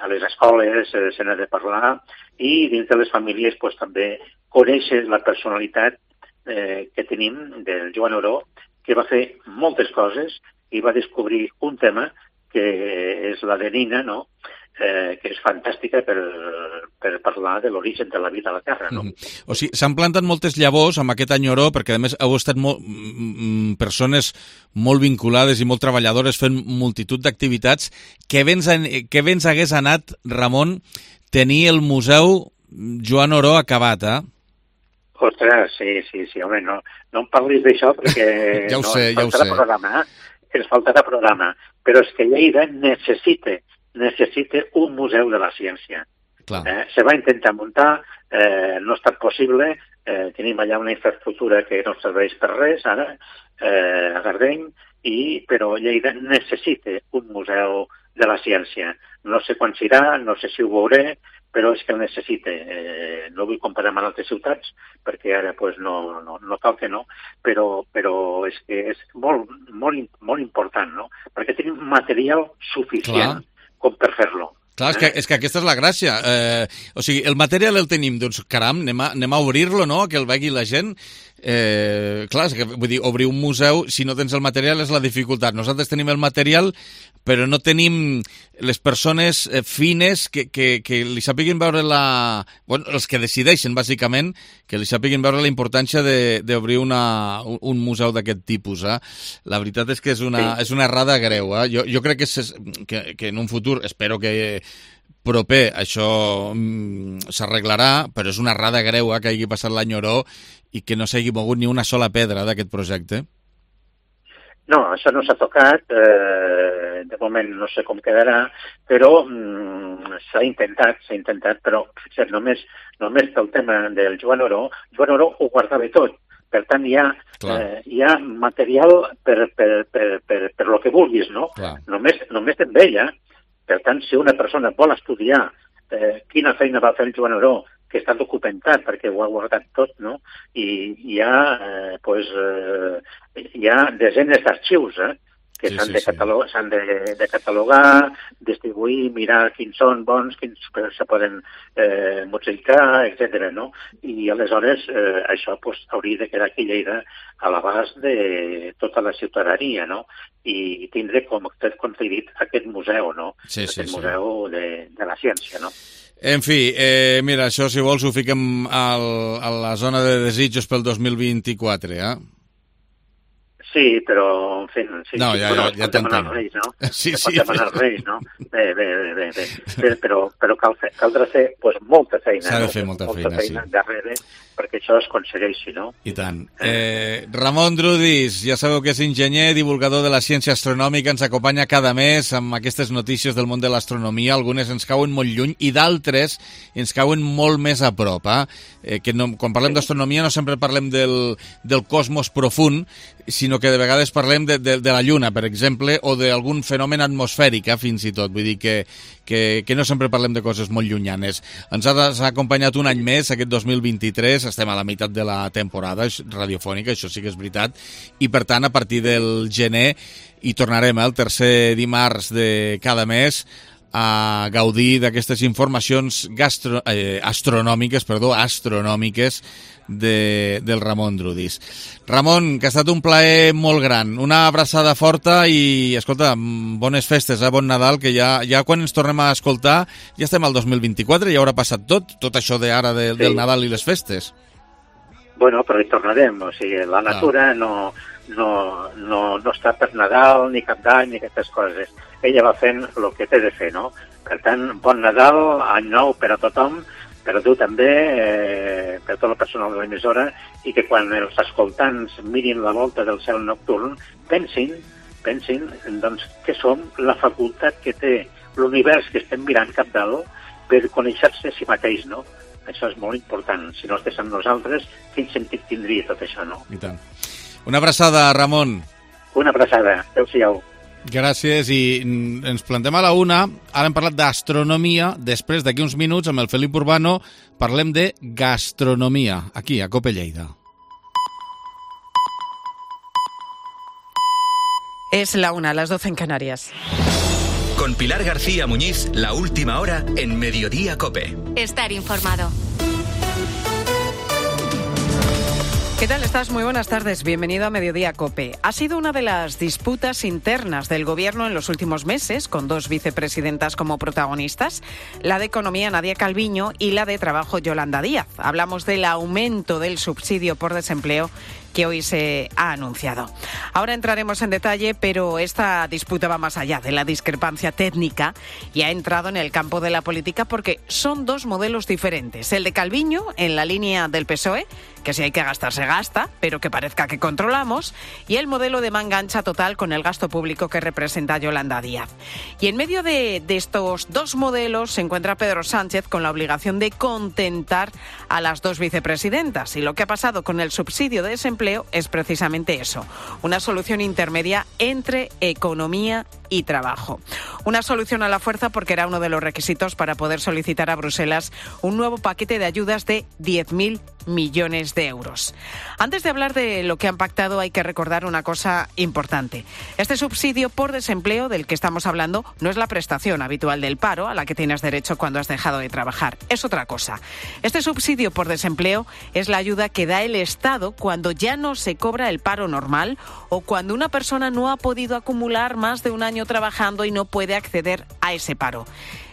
a les escoles se n'ha de parlar i dins de les famílies també conèixer la personalitat que tenim del Joan Oró, que va fer moltes coses i va descobrir un tema que és l'adenina, no?, que és fantàstica per parlar de l'origen de la vida a la Terra, no? O sigui, s'han plantat moltes llavors amb aquest Enyoró, perquè a més heu estat persones molt vinculades i molt treballadores fent multitud d'activitats. Què ben hagués anat, Ramon, tenir el Museu Joan Oró acabat, Ostres, sí, home, no em parlis d'això perquè ja ho sé. Ens faltarà programa, però és que Lleida necessita un museu de la ciència. Se va intentar muntar, no ha estat possible, tenim allà una infraestructura que no serveix per res ara, a Gardeny, però Lleida necessita un museu de la ciència. No sé quan serà, no sé si ho veuré, però és que el necessita. No vull comparar amb altres ciutats, perquè ara no cal que no, però és que és molt important, no? Perquè tenim material suficient com per fer-lo. Clar, és que aquesta és la gràcia. O sigui, el material el tenim, doncs, caram, anem a obrir-lo, no?, que el vegi la gent. Clar, és que, vull dir, obrir un museu, si no tens el material, és la dificultat. Nosaltres tenim el material, però no tenim les persones fines que li sàpiguin veure els que decideixen, bàsicament, que li sàpiguin veure la importància d'obrir un museu d'aquest tipus. La veritat és que és una errada greu. Jo crec que en un futur, espero que proper, això s'arreglarà, però és una errada greu que hagi passat l'any Oró i que no s'hagi mogut ni una sola pedra d'aquest projecte. No, això no s'ha tocat, de moment no sé com quedarà, però s'ha intentat, però només pel tema del Joan Oró ho guardava tot. Per tant, hi ha material per lo que vulguis, no? Només amb ella. Per tant, si una persona vol estudiar quina feina va fer el Joan Oró, que està documentat perquè ho ha guardat tot, no? I hi ha desenes d'arxius que s'han de catalogar, distribuir, mirar quins són bons, quins se poden modificar, etc. no? I aleshores això hauria de quedar aquí a Lleida a l'abast de tota la ciutadania, no? I tindre, com he dit, aquest museu, no? Aquest museu de la ciència, no? En fi, mira, això si vols ho fiquem a la zona de desitjos pel 2024, Sí, però, en fi... No, ja t'entenc. Sí. Pot demanar els Reis, no? Bé, però caldrà fer molta feina. S'ha de fer molta feina, sí. Darrere, perquè això es aconsegueixi, no? I tant. Ramon Drudis, ja sabeu que és enginyer, divulgador de la ciència astronòmica, ens acompanya cada mes amb aquestes notícies del món de l'astronomia. Algunes ens cauen molt lluny i d'altres ens cauen molt més a prop. Quan parlem d'astronomia no sempre parlem del cosmos profund, sinó que de vegades parlem de la Lluna, per exemple, o d'algun fenomen atmosfèric, fins i tot. Vull dir que no sempre parlem de coses molt llunyanes. Ens ha acompanyat un any més, aquest 2023, estem a la meitat de la temporada radiofònica, això sí que és veritat, i per tant, a partir del gener hi tornarem el tercer dimarts de cada mes a gaudir d'aquestes informacions astronòmiques del Ramon Drudis. Ramon, que ha estat un plaer molt gran. Una abraçada forta i, escolta, bones festes, bon Nadal, que ja quan ens tornem a escoltar ja estem al 2024, ja haurà passat tot això d'ara del Nadal i les festes. Bueno, però hi tornarem, o sigui, la natura no està per Nadal, ni Cap d'Any, ni aquestes coses. Ella va fent el que té de fer, no? Per tant, bon Nadal, any nou per a tothom, per a tu també, per tot el personal de l'emissora, i que quan els escoltants mirin la volta del cel nocturn, pensin doncs, que som la facultat que té l'univers que estem mirant cap dalt per conèixer-se a si mateix, no? Això és molt important. Si no estigués amb nosaltres, quin sentit tindria tot això, no? I tant. Una abraçada, Ramon. Una abraçada. Adéu-siau. Gràcies, i ens plantem a la una. Ara hem parlat d'astronomia. Després, d'aquí uns minuts, amb el Felip Urbano, parlem de gastronomia, aquí, a COPE Lleida. Es la una, las 12 en Canarias. Con Pilar García Muñiz, la última hora en Mediodía COPE. Estar informado. ¿Qué tal estás? Muy buenas tardes. Bienvenido a Mediodía COPE. Ha sido una de las disputas internas del Gobierno en los últimos meses, con dos vicepresidentas como protagonistas, la de Economía, Nadia Calviño, y la de Trabajo, Yolanda Díaz. Hablamos del aumento del subsidio por desempleo que hoy se ha anunciado. Ahora entraremos en detalle, pero esta disputa va más allá de la discrepancia técnica y ha entrado en el campo de la política porque son dos modelos diferentes. El de Calviño, en la línea del PSOE, que si hay que gastar se gasta, pero que parezca que controlamos, y el modelo de manga ancha total con el gasto público que representa Yolanda Díaz. Y en medio de estos dos modelos se encuentra Pedro Sánchez con la obligación de contentar a las dos vicepresidentas. Y lo que ha pasado con el subsidio de desempleo es precisamente eso, una solución intermedia entre economía y trabajo. Una solución a la fuerza porque era uno de los requisitos para poder solicitar a Bruselas un nuevo paquete de ayudas de 10.000 millones de euros. Antes de hablar de lo que han pactado, hay que recordar una cosa importante. Este subsidio por desempleo del que estamos hablando no es la prestación habitual del paro a la que tienes derecho cuando has dejado de trabajar. Es otra cosa. Este subsidio por desempleo es la ayuda que da el Estado cuando ya no se cobra el paro normal o cuando una persona no ha podido acumular más de un año trabajando y no puede acceder a ese paro.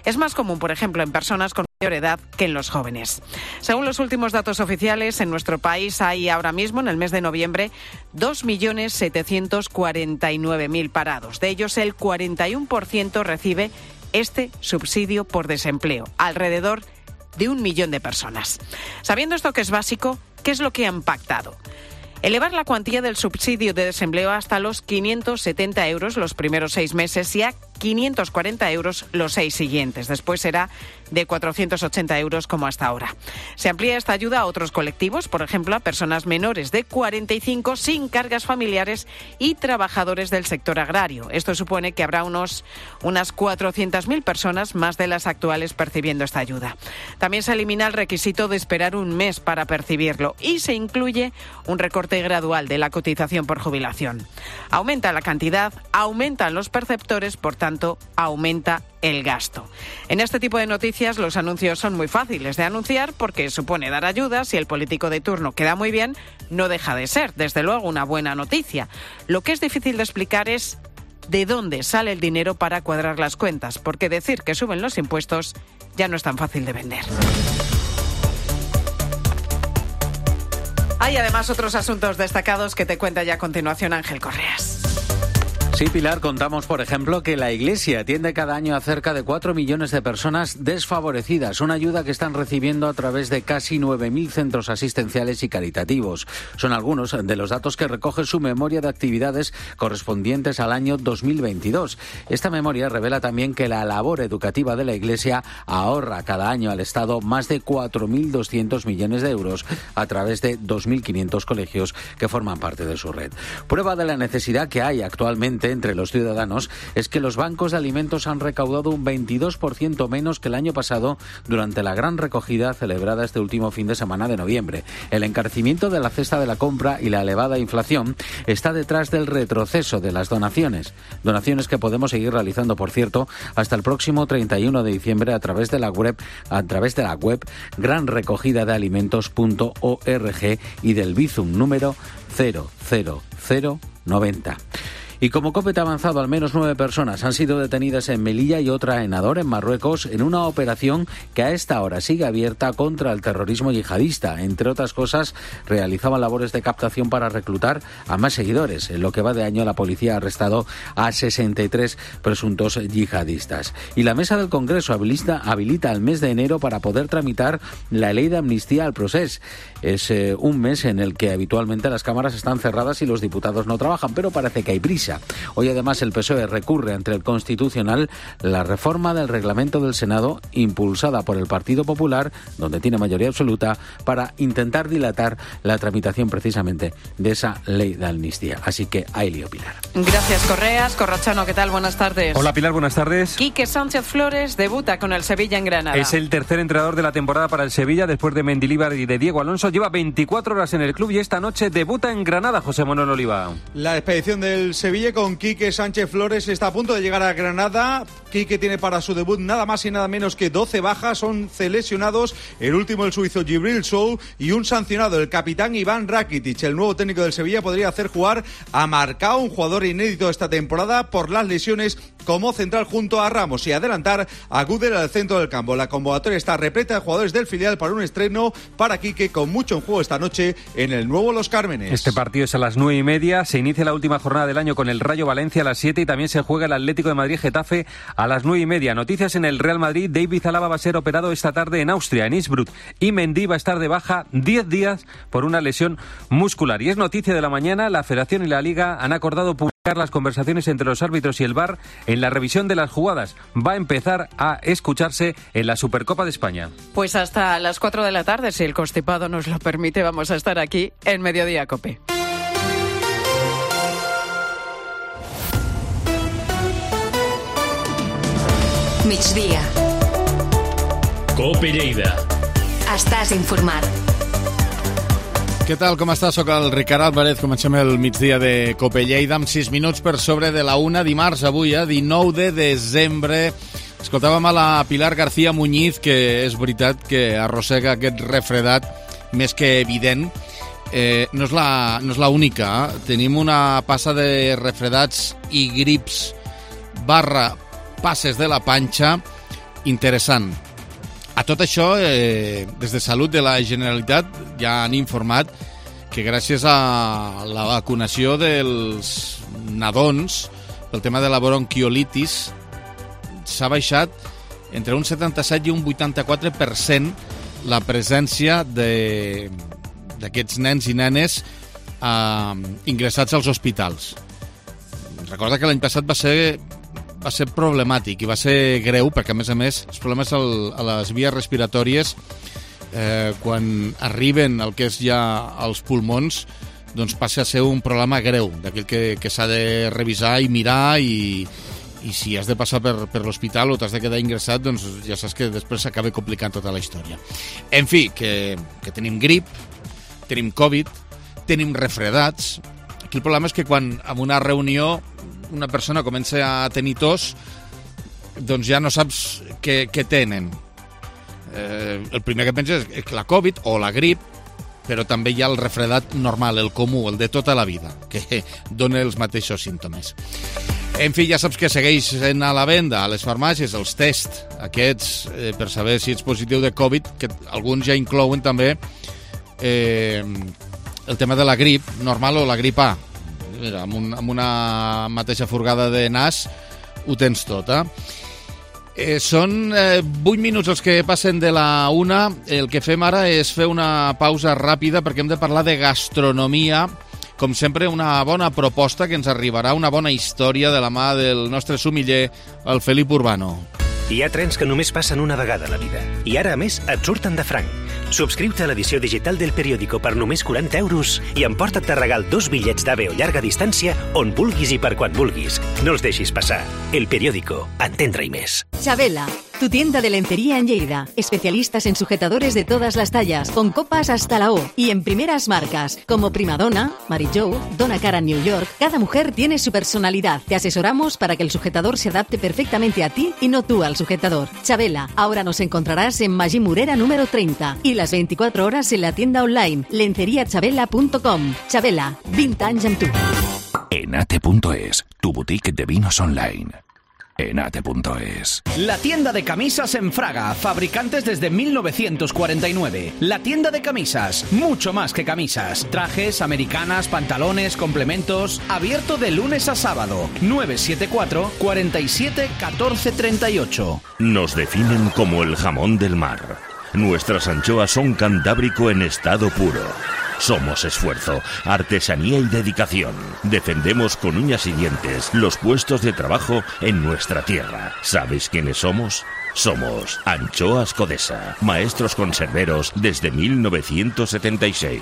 Es más común, por ejemplo, en personas con mayor edad que en los jóvenes. Según los últimos datos oficiales, en nuestro país hay ahora mismo, en el mes de noviembre, 2.749.000 parados. De ellos, el 41% recibe este subsidio por desempleo, alrededor de 1 millón de personas. Sabiendo esto que es básico, ¿qué es lo que han pactado? Elevar la cuantía del subsidio de desempleo hasta los 570 euros los primeros 6 meses y a 540 euros los 6 siguientes. Después será de 480 euros como hasta ahora. Se amplía esta ayuda a otros colectivos, por ejemplo, a personas menores de 45 sin cargas familiares y trabajadores del sector agrario. Esto supone que habrá unas 400.000 personas más de las actuales percibiendo esta ayuda. También se elimina el requisito de esperar un mes para percibirlo y se incluye un recorte gradual de la cotización por jubilación. Aumenta la cantidad, aumentan los perceptores, por tanto, aumenta el gasto. En este tipo de noticias los anuncios son muy fáciles de anunciar porque supone dar ayudas y el político de turno queda muy bien, no deja de ser, desde luego, una buena noticia. Lo que es difícil de explicar es de dónde sale el dinero para cuadrar las cuentas, porque decir que suben los impuestos ya no es tan fácil de vender. Hay además otros asuntos destacados que te cuenta ya a continuación Ángel Correas. Sí, Pilar, contamos, por ejemplo, que la Iglesia atiende cada año a cerca de 4 millones de personas desfavorecidas, una ayuda que están recibiendo a través de casi 9.000 centros asistenciales y caritativos. Son algunos de los datos que recoge su memoria de actividades correspondientes al año 2022. Esta memoria revela también que la labor educativa de la Iglesia ahorra cada año al Estado más de 4.200 millones de euros a través de 2.500 colegios que forman parte de su red. Prueba de la necesidad que hay actualmente entre los ciudadanos es que los bancos de alimentos han recaudado un 22% menos que el año pasado durante la gran recogida celebrada este último fin de semana de noviembre. El encarecimiento de la cesta de la compra y la elevada inflación está detrás del retroceso de las donaciones que podemos seguir realizando, por cierto, hasta el próximo 31 de diciembre a través de la web granrecogidadealimentos.org y del Bizum número 00090. Y como COPE ha avanzado, al menos 9 personas han sido detenidas en Melilla y otra en Ador, en Marruecos, en una operación que a esta hora sigue abierta contra el terrorismo yihadista. Entre otras cosas, realizaban labores de captación para reclutar a más seguidores. En lo que va de año, la policía ha arrestado a 63 presuntos yihadistas. Y la Mesa del Congreso habilita el mes de enero para poder tramitar la ley de amnistía al procés. Es un mes en el que habitualmente las cámaras están cerradas y los diputados no trabajan, pero parece que hay prisa. derecha. Hoy además el PSOE recurre ante el Constitucional la reforma del reglamento del Senado impulsada por el Partido Popular, donde tiene mayoría absoluta, para intentar dilatar la tramitación precisamente de esa ley de amnistía. Así que ahí lío, Pilar. Gracias, Correas. Corrochano, ¿qué tal? Buenas tardes. Hola, Pilar, buenas tardes. Quique Sánchez Flores debuta con el Sevilla en Granada. Es el tercer entrenador de la temporada para el Sevilla después de Mendilibar y de Diego Alonso. Lleva 24 horas en el club y esta noche debuta en Granada, José Manuel Oliva. La expedición del Sevilla con Quique Sánchez Flores está a punto de llegar a Granada. Quique tiene para su debut nada más y nada menos que 12 bajas, 11 lesionados, el último el suizo Gibril Soul y un sancionado, el capitán Iván Rakitic. El nuevo técnico del Sevilla podría hacer jugar a Marcao, un jugador inédito esta temporada por las lesiones, como central junto a Ramos, y adelantar a Gudel al centro del campo. La convocatoria está repleta de jugadores del filial para un estreno para Quique con mucho en juego esta noche en el nuevo Los Cármenes. Este partido es a las 9:30, se inicia la última jornada del año con el Rayo Valencia a las 7 y también se juega el Atlético de Madrid-Getafe a las 9:30. Noticias en el Real Madrid: David Alaba va a ser operado esta tarde en Austria, en Innsbruck, y Mendy va a estar de baja 10 días por una lesión muscular. Y es noticia de la mañana, la Federación y la Liga han acordado publicar las conversaciones entre los árbitros y el VAR en la revisión de las jugadas. Va a empezar a escucharse en la Supercopa de España. Pues hasta las 4 de la tarde, si el constipado nos lo permite, vamos a estar aquí en Mediodía COPE. Migdia. COPE Lleida. Estàs informat. Què tal, com estàs? Soc el Ricard Álvarez. Comencem el migdia de COPE Lleida amb 6 minuts per sobre de la 1 dimarts, avui, 19 de desembre. Escoltàvem a la Pilar García Muñiz, que és veritat que arrossega aquest refredat més que evident. No és la única. Tenim una passa de refredats i grips / passes de la panxa interessant. A tot això, des de Salut de la Generalitat ja han informat que gràcies a la vacunació dels nadons pel tema de la bronquiolitis s'ha baixat entre un 77 i un 84% la presència d'aquests nens i nenes ingressats als hospitals. Recorda que l'any passat va ser problemàtic i va ser greu, perquè a més els problemes a les vies respiratòries quan arriben el que és ja als pulmons, doncs passa a ser un problema greu, d'aquell que s'ha de revisar i mirar, i si has de passar per l'hospital o t'has de quedar ingressat, doncs ja saps que després s'acaba complicant tota la història. En fi, que tenim grip, tenim Covid, tenim refredats. Aquí el problema és que quan en una reunió una persona comença a tenir tos, doncs ja no saps què tenen. El primer que penses és la Covid o la grip, però també hi ha el refredat normal, el comú, el de tota la vida, que dona els mateixos símptomes. En fi, ja saps que segueix sent a la venda a les farmàcies els tests aquests per saber si ets positiu de Covid, que alguns ja inclouen també el tema de la grip normal o la grip A. Mira, amb una mateixa furgada de nas ho tens tot, Són 8 minuts els que passen de la 1. El que fem ara és fer una pausa ràpida perquè hem de parlar de gastronomia. Com sempre, una bona proposta que ens arribarà, una bona història de la mà del nostre sumiller, el Felip Urbano. Hi ha trens que només passen una vegada a la vida. I ara, a més, et surten de franc. Subscriu-te a l'edició digital del periòdico per només 40 euros i emporta't de regal 2 bitllets d'AVE o llarga distància on vulguis i per quan vulguis. No els deixis passar. El periòdico. Entendre-hi més. Chabela, tu tienda de lencería en Lleida. Especialistas en sujetadores de todas las tallas, con copas hasta la O y en primeras marcas, como Primadonna, Mary Jo, Donna Karan New York. Cada mujer tiene su personalidad. Te asesoramos para que el sujetador se adapte perfectamente a ti y no tú al sujetador. Chabela, ahora nos encontrarás en Magí Morera número 30 y las 24 horas en la tienda online lenceriachabela.com. Chabela, 20 anys amb tu. Enate.es, tu boutique de vinos online. Enate.es. La tienda de camisas en Fraga, fabricantes desde 1949. La tienda de camisas, mucho más que camisas. Trajes, americanas, pantalones, complementos. Abierto de lunes a sábado. 974 47 14 38. Nos definen como el jamón del mar. Nuestras anchoas son cantábrico en estado puro. Somos esfuerzo, artesanía y dedicación. Defendemos con uñas y dientes los puestos de trabajo en nuestra tierra. ¿Sabes quiénes somos? Somos Anchoas Codesa, maestros conserveros desde 1976.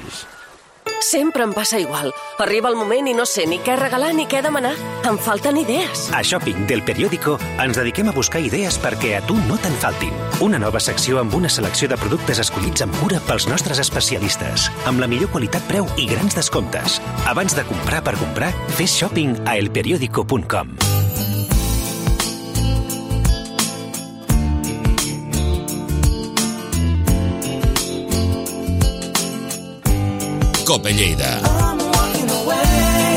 Sempre em passa igual. Arriba el moment i no sé ni què regalar ni què demanar. Em falten idees. A Shopping del Periódico ens dediquem a buscar idees perquè a tu no te'n faltin. Una nova secció amb una selecció de productes escollits amb cura pels nostres especialistes, amb la millor qualitat-preu i grans descomptes. Abans de comprar per comprar, fes shopping a elperiódico.com. Cope Lleida.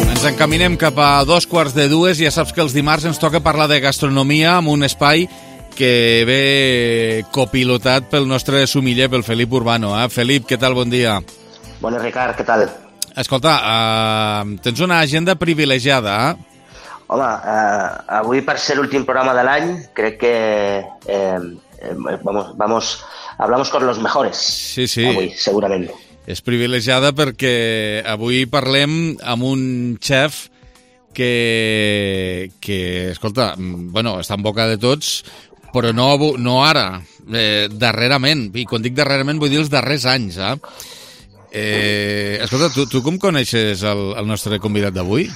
Ens encaminem cap a 2:45. Ja saps que els dimarts ens toca parlar de gastronomia amb un espai que ve copilotat pel nostre sumiller, pel Felip Urbano. Felip, què tal? Bon dia. Bona, Ricard, què tal? Escolta, tens una agenda privilegiada, Home, avui, per ser l'últim programa de l'any, crec que hablamos con los mejores. Sí, sí. Avui, segurament. És privilegiada perquè avui parlem amb un xef que escolta, bueno, està en boca de tots, però no ara, darrerament. I quan dic darrerament vull dir els darrers anys. Escolta, tu com coneixes el nostre convidat d'avui?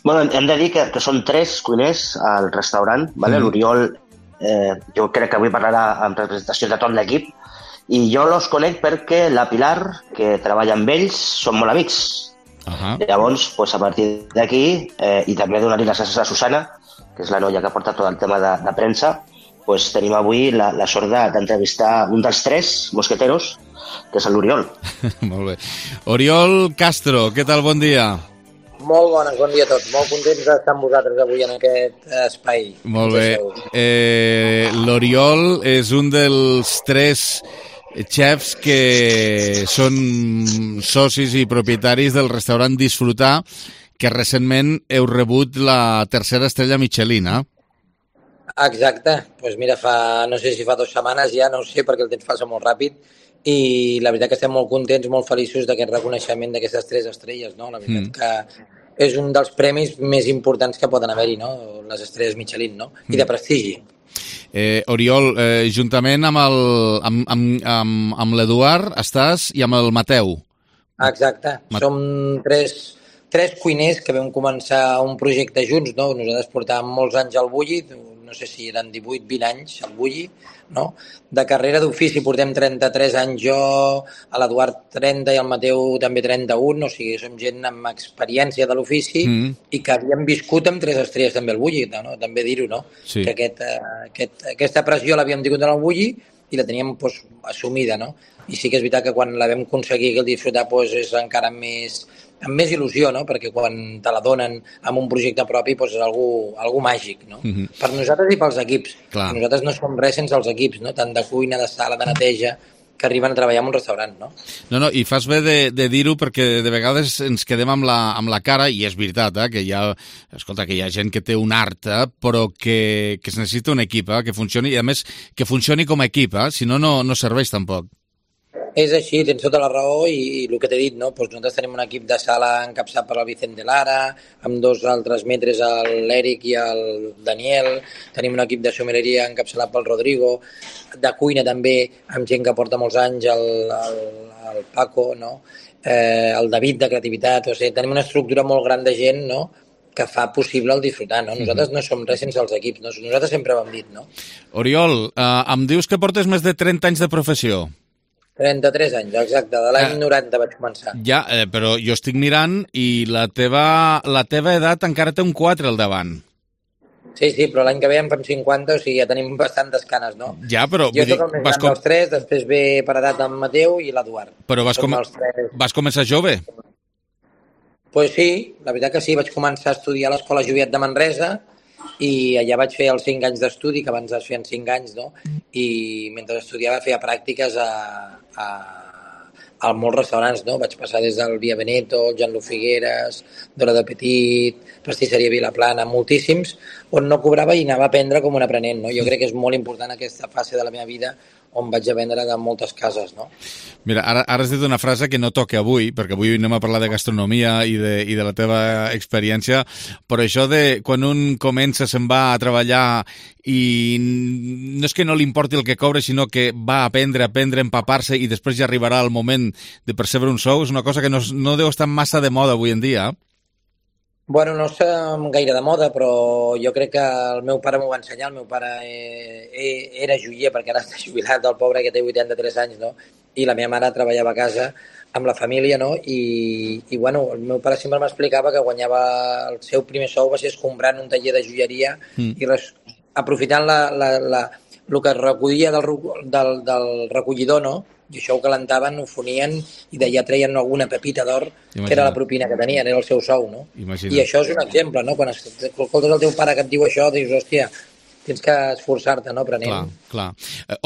Bueno, hem de dir que són 3 cuiners al restaurant, ¿vale? L'Oriol, jo crec que avui parlarà en representació de tot l'equip, i jo los conec perquè la Pilar, que treballa amb ells, són molt amics. Llavors, pues, a partir d'aquí, i també donar-li les gràcies a Susana, que és la noia que porta tot el tema de premsa, pues, tenim avui la sort d'entrevistar un dels 3 mosqueteros, que és l'Oriol. Molt bé. Oriol Castro, què tal? Bon dia. Molt bones, bon dia a tots. Molt contents d'estar amb vosaltres avui en aquest espai. Molt bé. L'Oriol és un dels 3 chefs que són socis i propietaris del restaurant Disfrutar, que recentment heu rebut la 3a estrella Michelin, Exacte. Doncs mira, no sé si fa 2 setmanes ja, no ho sé, perquè el temps passa molt ràpid, i la veritat que estem molt contents, molt feliços d'aquest reconeixement d'aquestes 3 estrelles, no? La veritat que és un dels premis més importants que poden haver-hi, no? Les estrelles Michelin, no? I de prestigi. Oriol, juntament amb l'Eduard estàs i amb el Mateu. Exacte. Som 3 cuiners que vam començar un projecte junts, no? Nosaltres portàvem molts anys al Bulli, no sé si eren 18-20 anys al Bulli, no? De carrera d'ofici portem 33 anys jo, a l'Eduard 30 i el Mateu també 31, o sigui, som gent amb experiència de l'ofici i que havíem viscut amb 3 estrelles també al Bulli, no? També dir-ho, no? Sí. Que aquesta pressió l'havíem tingut en el Bulli i la teníem pues, assumida, no? I sí que és veritat que quan la vam aconseguir que el Disfrutar pues, és encara amb més il·lusió, no? Perquè quan te la donen amb un projecte propi pues, és algú màgic, no? Per nosaltres i pels equips. Nosaltres no som res sense els equips, no? Tant de cuina, de sala, de neteja, que arriben a treballar en un restaurant, no? No, i fas bé de dir-ho perquè de vegades ens quedem amb la cara, i és veritat, que hi ha gent que té un art, però que es necessita un equip que funcioni, i a més que funcioni com a equip, si no, no serveix tampoc. És així, tens tota la raó i el que t'he dit, no? Pues nosaltres tenim un equip de sala encapçat per el Vicent de Lara, amb 2 altres metres, l'Eric i el Daniel, tenim un equip de sommelleria encapçalat pel Rodrigo, de cuina també, amb gent que porta molts anys, el Paco, no? El David de creativitat, o sigui, tenim una estructura molt gran de gent, no?, que fa possible el Disfrutar, no? Nosaltres no som res sense els equips, no? Nosaltres sempre ho hem dit, no? Oriol, em dius que portes més de 30 anys de professió. 33 anys, exacte, de l'any 90 vaig començar. Ja, però jo estic mirant i la teva edat encara té un 4 al davant. Sí, però l'any que ve en fem 50, o sigui, ja tenim bastantes canes, no? Ja, però... Jo soc el més gran dels 3, després ve per edat en Mateu i l'Eduard. Però vas començar jove? Pues sí, la veritat que sí, vaig començar a estudiar a l'Escola Joviat de Manresa, i allà vaig fer els 5 anys d'estudi, que abans es feien 5 anys, no? I mentre estudiava feia pràctiques a molts restaurants, no? Vaig passar des del Via Veneto, el Jean-Loup Figueres, Dora de Petit, Pastisseria Vilaplana, moltíssims, on no cobrava i anava a aprendre com un aprenent, no? Jo crec que és molt important aquesta fase de la meva vida on vaig aprendre de moltes cases, no? Mira, ara has dit una frase que no toca avui, perquè avui anem a parlar de gastronomia i de la teva experiència, però això de quan un comença, se'n va a treballar i no és que no li importi el que cobra, sinó que va a aprendre, empapar-se i després ja arribarà el moment de percebre un sou, és una cosa que no deu estar massa de moda avui en dia. Bueno, no està gaire de moda, però jo crec que el meu pare m'ho va ensenyar. El meu pare era joier, perquè ara està jubilat, el pobre, que té 83 anys, no? I la meva mare treballava a casa amb la família, no? I bueno, el meu pare sempre m'explicava que guanyava el seu primer sou va ser escombrant un taller de joieria i aprofitant el que recollia del recollidor, no? I això ho calentaven, ho fonien i d'allà treien alguna pepita d'or, que era la propina que tenien, era el seu sou, no? Imagina't. I això és un exemple, no? Quan escoltes el teu pare que et diu això, dius, hòstia, tens que esforçar-te, no, aprenent. Clar.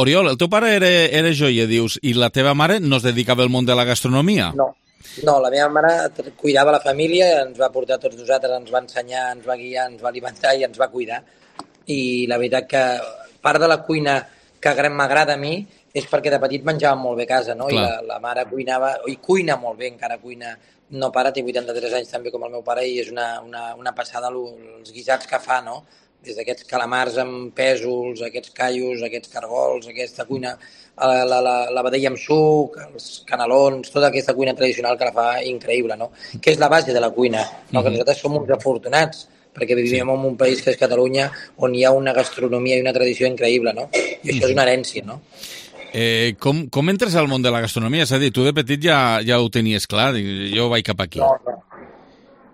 Oriol, el teu pare era joier, dius, i la teva mare no es dedicava al món de la gastronomia? No, la meva mare cuidava la família, ens va portar tots nosaltres, ens va ensenyar, ens va guiar, ens va alimentar i ens va cuidar. I la veritat que part de la cuina que m'agrada a mi és perquè de petit menjàvem molt bé a casa, no? Clar. I la mare cuinava, i cuina molt bé, encara cuina. No para, té 83 anys també com el meu pare i és una passada els guisats que fa, no? Des d'aquests calamars amb pèsols, aquests callos, aquests cargols, aquesta cuina, la vedella amb suc, els canelons, tota aquesta cuina tradicional que la fa increïble, no? Que és la base de la cuina, no? Que nosaltres som uns afortunats, perquè vivim en un país que és Catalunya, on hi ha una gastronomia i una tradició increïble, no? I això és una herència, no? Com entres al món de la gastronomia? És a dir, tu de petit ja ho tenies clar, jo vaig cap aquí.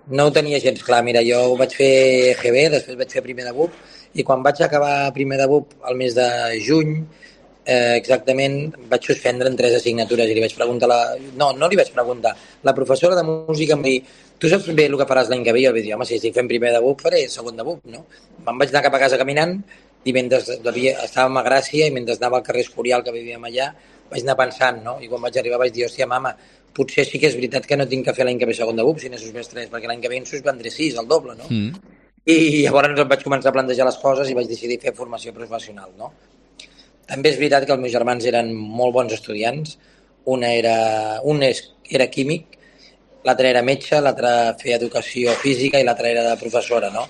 No ho tenia gens clar. Mira, jo vaig fer EGB, després vaig fer primer de BUP, i quan vaig acabar primer de BUP al mes de juny, exactament, vaig suspendre en 3 assignatures i li vaig preguntar no li vaig preguntar. La professora de música em va dir, tu saps bé el que faràs l'any que ve? I jo vaig dir, home, si estic fent primer de BUP, faré segon de BUP, no? Me'n vaig anar cap a casa caminant i mentre estàvem a Gràcia i mentre anava al carrer Escorial, que vivíem allà, vaig anar pensant, no? I quan vaig arribar vaig dir, hòstia, mama, potser sí que és veritat que no tinc que fer l'any que ve segon de BUP si n'he suspès 3, perquè l'any que ve en suspendré 6, el doble, no? I llavors em vaig començar a plantejar les coses i vaig decidir fer formació professional, no? També és veritat que els meus germans eren molt bons estudiants. Un era químic, l'altre era metge, l'altre feia educació física i l'altre era de professora, no?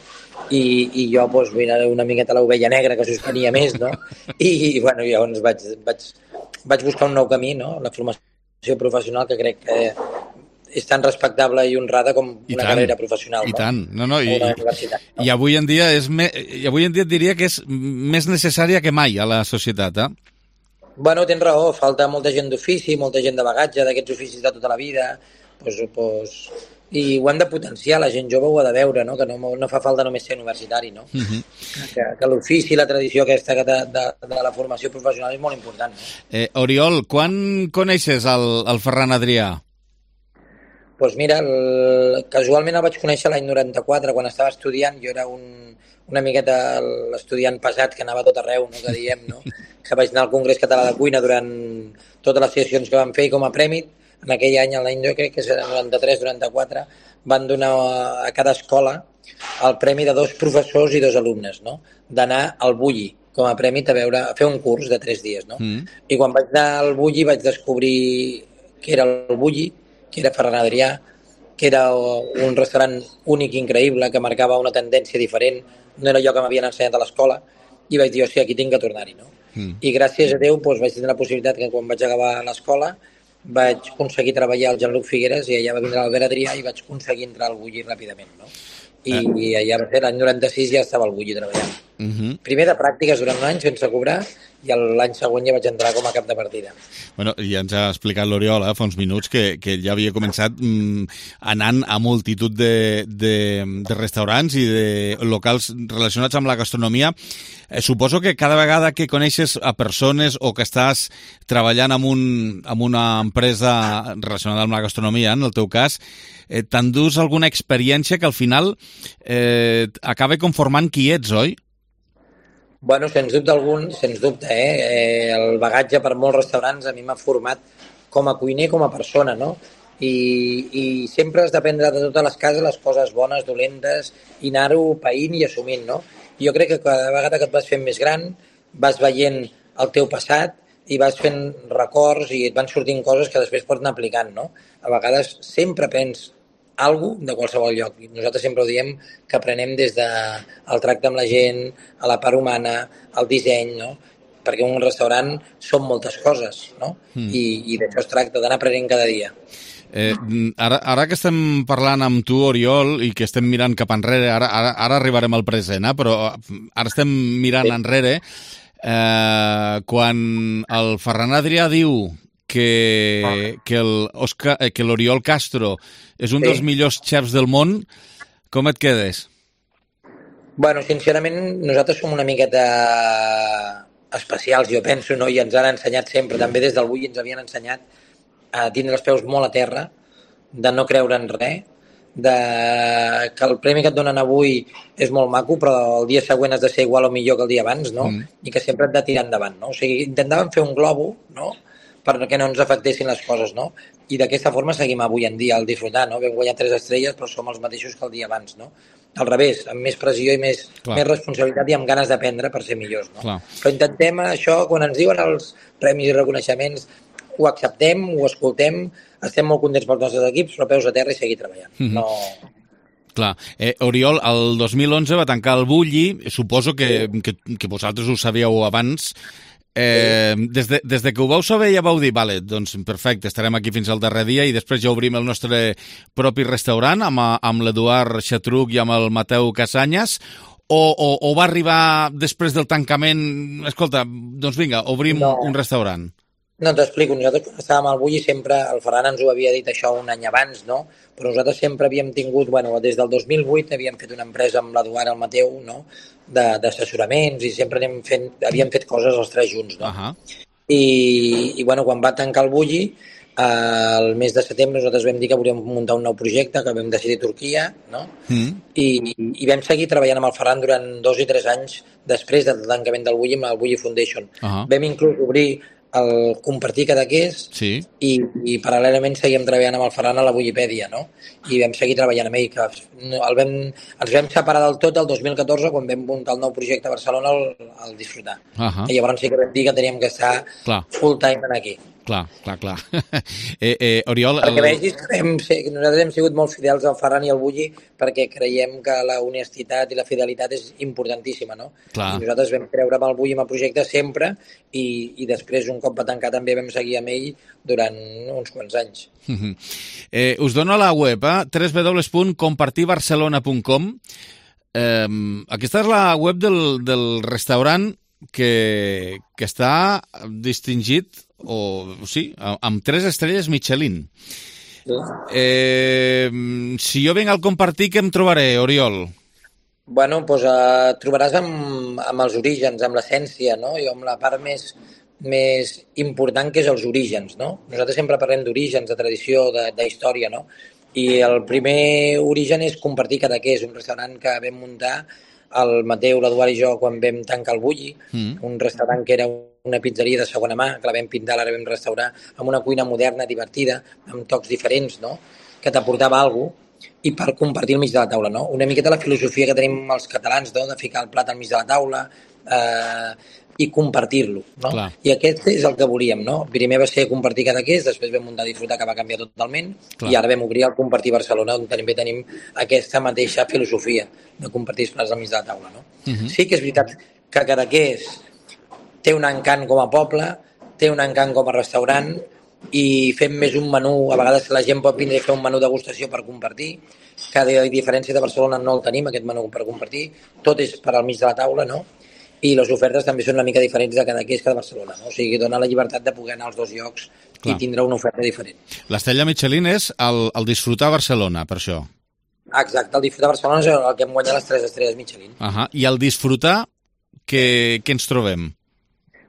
I jo, doncs, era una miqueta l'ovella negra que suspenia més, no? I bueno, llavors vaig buscar un nou camí, no? La formació professional, que crec que és tan respectable i honrada com una carrera professional. I tant. I avui en dia et diria que és més necessària que mai a la societat, eh? Bueno, tens raó, falta molta gent d'ofici, molta gent de bagatge, d'aquests oficis de tota la vida, i ho hem de potenciar, la gent jove ho ha de veure, no? Que no fa falta només ser universitari, no? Que l'ofici i la tradició aquesta de la formació professional és molt important. No? Oriol, quan coneixes el Ferran Adrià? Doncs mira, casualment el vaig conèixer l'any 94, quan estava estudiant. Jo era una miqueta l'estudiant pesat que anava a tot arreu, no? Que diem, no? Que vaig anar al Congrés Català de Cuina durant totes les sessions que vam fer i com a premi, en aquell any, l'any jo crec que és el 93-94, van donar a cada escola el premi de 2 professors i 2 alumnes, no? D'anar al Bulli com a premi a fer un curs de 3 dies, no? I quan vaig anar al Bulli vaig descobrir que era el Bulli, que era Ferran Adrià, que era un restaurant únic i increïble, que marcava una tendència diferent, no era allò que m'havien ensenyat a l'escola, i vaig dir, hòstia, aquí tinc que tornar-hi, no? I gràcies a Déu vaig tenir la possibilitat que quan vaig acabar l'escola vaig aconseguir treballar al Jean-Luc Figueres i allà va vindre l'Albert Adrià i vaig aconseguir entrar al Bulli ràpidament, no? I allà va ser l'any 96 ja estava al Bulli treballant. Primer de pràctiques durant un any sense cobrar i l'any següent ja vaig entrar com a cap de partida. Bueno, ja ens ha explicat l'Oriol fa uns minuts que ja havia començat anant a multitud de restaurants i de locals relacionats amb la gastronomia. Suposo que cada vegada que coneixes a persones o que estàs treballant amb una empresa relacionada amb la gastronomia, en el teu cas, t'endús alguna experiència que al final acaba conformant qui ets, oi? Bueno, sens dubte, el bagatge per molts restaurants a mi m'ha format com a cuiner, com a persona, no? I sempre has d'aprendre de totes les cases les coses bones, dolentes, i anar-ho païnt i assumint, no? Jo crec que cada vegada que et vas fent més gran vas veient el teu passat i vas fent records i et van sortint coses que després pots anar aplicant, no? A vegades sempre aprens alguna de qualsevol lloc. Nosaltres sempre ho diem que aprenem des del tracte amb la gent, a la part humana, al disseny, no? Perquè un restaurant són moltes coses, no? I d'això es tracta, d'anar aprenent cada dia. Ara que estem parlant amb tu, Oriol, i que estem mirant cap enrere, ara arribarem al present, però ara estem mirant enrere, quan el Ferran Adrià diu que l'Oriol Castro és un dels millors xefs del món, com et quedes? Bueno, sincerament, nosaltres som una miqueta especials, jo penso, no? I ens han ensenyat sempre, també des del Bulli ens havien ensenyat a tindre els peus molt a terra, de no creure en res, que el premi que et donen avui és molt maco, però el dia següent has de ser igual o millor que el dia abans, no? I que sempre et de tirar endavant, no? O sigui, intentàvem fer un globo, no?, perquè no ens afectessin les coses, no? I d'aquesta forma seguim avui en dia al disfrutar, no? Vam guanyar 3 estrelles, però som els mateixos que el dia abans, no? Al revés, amb més pressió i més responsabilitat i amb ganes d'aprendre per ser millors, no? Però intentem això, quan ens diuen els premis i reconeixements, ho acceptem, ho escoltem, estem molt contents pels nostres equips, però peus a terra i seguir treballant. No... Clar. Oriol, el 2011 va tancar el Bulli, suposo que vosaltres ho sabíeu abans. Des de que ho vau saber ja vau dir, vale, doncs perfecte, estarem aquí fins al darrer dia i després ja obrim el nostre propi restaurant amb l'Eduard Xatruc i amb el Mateu Casanyes, o va arribar després del tancament, escolta, doncs vinga, obrim un restaurant? No, t'explico. Nosaltres quan estàvem al Bulli sempre, el Ferran ens ho havia dit això un any abans, no? Però nosaltres sempre havíem tingut, des del 2008 havíem fet una empresa amb l'Eduard, el Mateu, no?, d'assessoraments i sempre havíem fet coses els 3 junts, no? I quan va tancar el Bulli, el mes de setembre nosaltres vam dir que volíem muntar un nou projecte, que vam decidir Turquia, no? I vam seguir treballant amb el Ferran durant 2 i 3 anys després del tancament del Bulli amb el Bulli Foundation. Vam inclús obrir el compartir Cadaqués i paral·lelament seguíem treballant amb el Ferran a la Bullipèdia, no? I vam seguir treballant amb ell, que ens vam separar del tot el 2014 quan vam muntar el nou projecte a Barcelona al Disfrutar. I llavors sí que vam dir que teníem que estar full time aquí. Clar. Oriol... Perquè vegis que nosaltres hem sigut molt fidels al Ferran i al Bulli perquè creiem que la honestitat i la fidelitat és importantíssima, no? I nosaltres vam creure amb el Bulli amb el projecte sempre i després, un cop va tancar, també vam seguir amb ell durant uns quants anys. Us dono la web, www.compartirbarcelona.com. Aquesta és la web del restaurant que està distingit amb 3 estrelles Michelin. Si jo vinc al Compartir, què em trobaré, Oriol? Bueno, doncs trobaràs amb els orígens, amb l'essència, no? I amb la part més important, que és els orígens, no? Nosaltres sempre parlem d'orígens, de tradició, d'història, no? I el primer origen és Compartir Cadaqués, un restaurant que vam muntar el Mateu, l'Eduard i jo quan vam tancar el Bulli, un restaurant que era una pizzeria de segona mà, que la vam pintar, la vam restaurar, amb una cuina moderna, divertida, amb tocs diferents, no?, que t'aportava alguna cosa, i per compartir al mig de la taula, no? Una miqueta la filosofia que tenim els catalans, no?, de ficar el plat al mig de la taula i compartir-lo, no? I aquest és el que volíem, no? Primer va ser Compartir Cadaqués, després vam muntar Disfrutar, que va canviar totalment, i ara vam obrir el Compartir Barcelona, on també tenim aquesta mateixa filosofia de compartir els plats al mig de la taula, no? Sí que és veritat que Cadaqués té un encant com a poble, té un encant com a restaurant, i fem més un menú, a vegades la gent pot vindre a fer un menú de degustació per compartir, que a diferència de Barcelona no el tenim, aquest menú per compartir, tot és per al mig de la taula, no? I les ofertes també són una mica diferents de Cadaqués que de Barcelona, no? O sigui, dona la llibertat de poder anar als 2 llocs i tindre una oferta diferent. L'estrella Michelin és el Disfrutar Barcelona, per això. Exacte, el Disfrutar Barcelona és el que hem guanyat les 3 estrelles Michelin. I el Disfrutar, què ens trobem?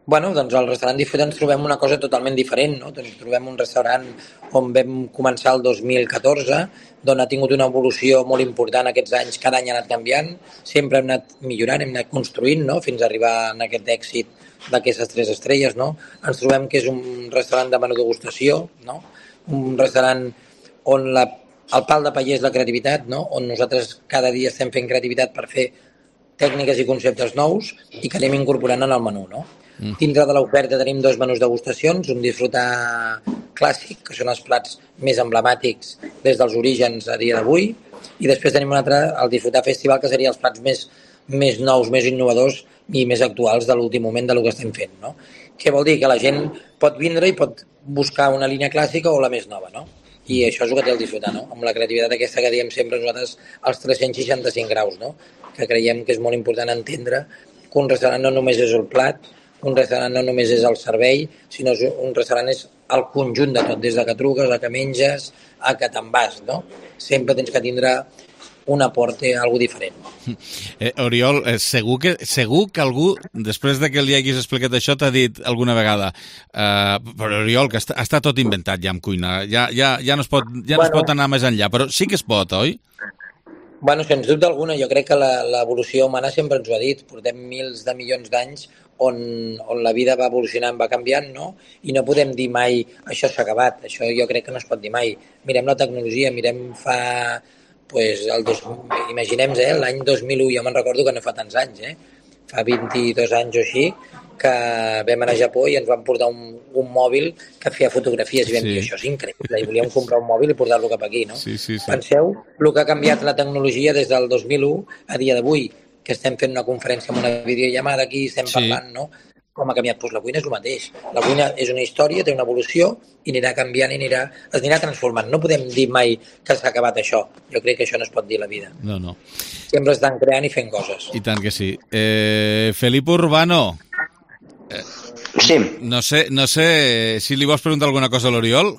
Bueno, doncs al restaurant Disfrutar ens trobem una cosa totalment diferent, no? Ens trobem un restaurant on vam començar el 2014, d'on ha tingut una evolució molt important aquests anys, cada any ha anat canviant, sempre hem anat millorant, hem anat construint, no?, fins a arribar a aquest èxit d'aquestes 3 estrelles, no? Ens trobem que és un restaurant de menú degustació, no? Un restaurant on el pal de paller és la creativitat, no? On nosaltres cada dia estem fent creativitat per fer tècniques i conceptes nous i que anem incorporant en el menú, no? Dintre de l'oferta tenim 2 menús degustacions, un disfrutar clàssic, que són els plats més emblemàtics des dels orígens a dia d'avui, i després tenim un altre, el disfrutar festival, que seria els plats més nous, més innovadors i més actuals de l'últim moment de lo que estem fent, no? Què vol dir? Que la gent pot vindre i pot buscar una línia clàssica o la més nova, no? I això és el que té el disfrutar, no? Amb la creativitat aquesta que diem sempre nosaltres, els 365 graus, no? Que creiem que és molt important entendre que un restaurant no només és el plat, un restaurant no només és el servei, sinó que un restaurant és el conjunt de tot, des de que truques, a que menges, a que te'n vas, no? Sempre tens que tindre un aporte, algo diferent. Oriol, segur que algú, després de que li haguis explicat això, t'ha dit alguna vegada però Oriol, que està tot inventat ja en cuina, ja no es pot anar més enllà, però sí que es pot, oi? Bueno, sens dubte alguna, jo crec que l'evolució humana sempre ens ho ha dit, portem mils de milions d'anys on la vida va evolucionant, va canviant, no? I no podem dir mai això s'ha acabat, això jo crec que no es pot dir mai. Mirem la tecnologia, mirem fa... imaginem, l'any 2001, jo me'n recordo que no fa tants anys, fa 22 anys o així, que vam anar a Japó i ens van portar un mòbil que feia fotografies i vam dir, això és increïble, i volíem comprar un mòbil i portar-lo cap aquí, no? Sí. Penseu el que ha canviat la tecnologia des del 2001 a dia d'avui, que estem fent una conferència amb una videollamada aquí, estem parlant, no? Com ha canviat? Doncs la cuina és el mateix. La cuina és una història, té una evolució i anirà canviant i es anirà transformant. No podem dir mai que s'ha acabat això. Jo crec que això no es pot dir a la vida. No. Sempre estan creant i fent coses. I tant que sí. Felipe Urbano. Sí. No sé si li vols preguntar alguna cosa a l'Oriol.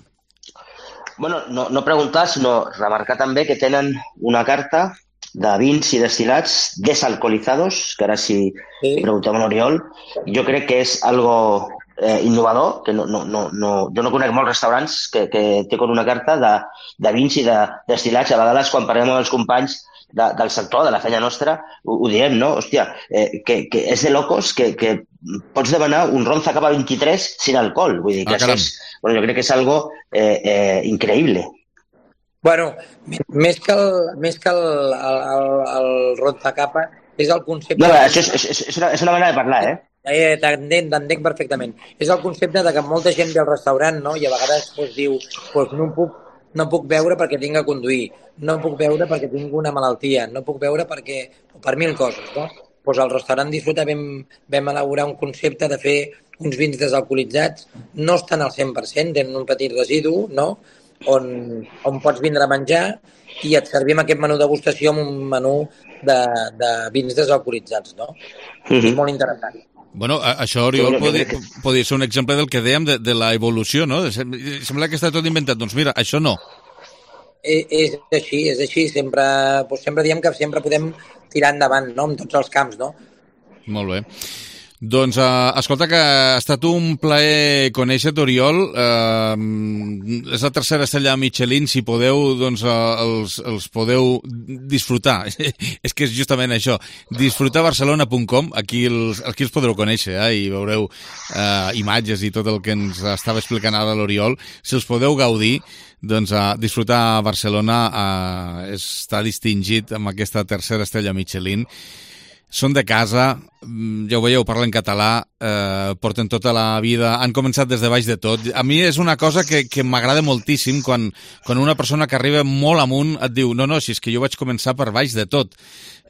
Bueno, no preguntar, sinó remarcar també que tenen una carta de vins i destilats desalcoholizados, que ara si preguntem a l'Oriol, jo crec que és algo innovador, que jo no conec molts restaurants que té com una carta de vins i de destilats. A vegades, quan parlem amb els companys del sector, de la feina nostra, ho diem, no? Hòstia, que és de locos que pots demanar un Ronza Cava 23 sin alcohol. Vull dir que això és... Bueno, jo crec que és algo increïble. Bueno, més que el Ronza Cava és el concepte... No, això és una manera de parlar, T'entenc perfectament. És el concepte de que molta gent ve al restaurant, no? I a vegades diu, no puc beure perquè tinc que conduir, no puc beure perquè tinc una malaltia, no puc beure per mil coses, no? Doncs al restaurant Disfruta vam elaborar un concepte de fer uns vins desalcoholitzats, no estan al 100%, tenen un petit residu, no? On pots vindre a menjar i et servim aquest menú degustació amb un menú de vins desalcoholitzats, no? És molt interessant. Bueno, això, Oriol, podria ser un exemple del que dèiem de la evolució, no? Sembla que està tot inventat. Doncs mira, això no. És així. Sempre diem que sempre podem tirar endavant, no?, en tots els camps, no? Molt bé. Doncs, escolta, que ha estat un plaer conèixer-te, Oriol. És la tercera estrella Michelin, si podeu, doncs els podeu disfrutar. És que és justament això, disfrutabarcelona.com, aquí els podreu conèixer, i veureu imatges i tot el que ens estava explicant ara l'Oriol. Si els podeu gaudir, doncs Disfrutar Barcelona està distingit amb aquesta tercera estrella Michelin. Són de casa, ja ho veieu, parlen català, porten tota la vida, han començat des de baix de tot. A mi és una cosa que m'agrada moltíssim quan una persona que arriba molt amunt et diu no, si és que jo vaig començar per baix de tot.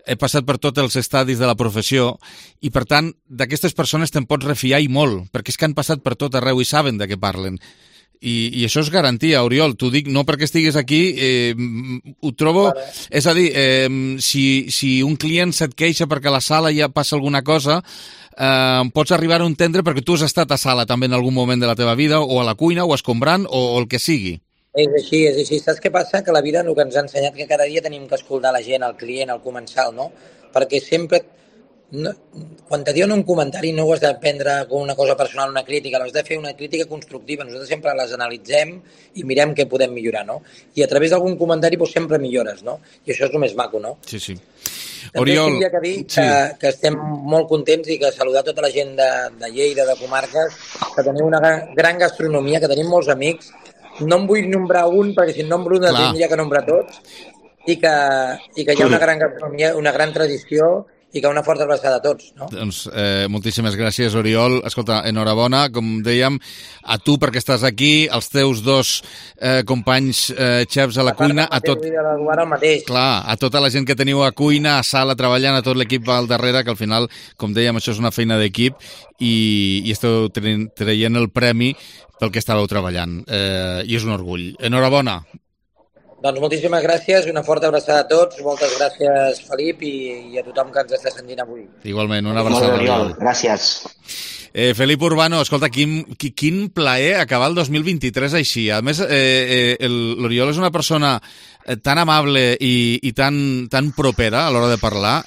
He passat per tots els estadis de la professió i, per tant, d'aquestes persones te'n pots refiar i molt, perquè és que han passat per tot arreu i saben de què parlen. I això és garantia, Oriol, t'ho dic no perquè estiguis aquí, ho trobo, és a dir, si un client se't queixa perquè a la sala ja passa alguna cosa, pots arribar a entendre perquè tu has estat a sala també en algun moment de la teva vida, o a la cuina, o escombrant, o el que sigui. És així. Saps què passa? Que la vida el que ens ha ensenyat que cada dia tenim que escoltar la gent, el client, el comensal, no? Perquè sempre... quan te diuen un comentari no ho has de prendre com una cosa personal, una crítica, l'has de fer una crítica constructiva. Nosaltres sempre les analitzem i mirem què podem millorar, no? I a través d'algun comentari sempre millores, no? I això és el més maco, no? Sí. Oriol... També tinc que dir que estem molt contents i que saludar tota la gent de Lleida, de comarques, que teniu una gran gastronomia, que tenim molts amics. No em vull nombrar un, perquè si nombro un tindria que nombrar tots, i que hi ha una gran gastronomia, una gran tradició, i que una forta abraçada a tots. No? Doncs moltíssimes gràcies, Oriol. Escolta, enhorabona, com dèiem, a tu perquè estàs aquí, als teus dos companys xefs a la cuina, a tot... Clar, a tota la gent que teniu a cuina, a sala, treballant, a tot l'equip al darrere, que al final, com dèiem, això és una feina d'equip i esteu traient el premi pel que estàveu treballant. I és un orgull. Enhorabona. Doncs moltíssimes gràcies, una forta abraçada a tots, moltes gràcies, Felip, i a tothom que ens està sentint avui. Igualment, una abraçada. Molt bé, Oriol, gràcies. Felip Urbano, escolta, quin plaer acabar el 2023 així. A més, l'Oriol és una persona tan amable i tan propera a l'hora de parlar.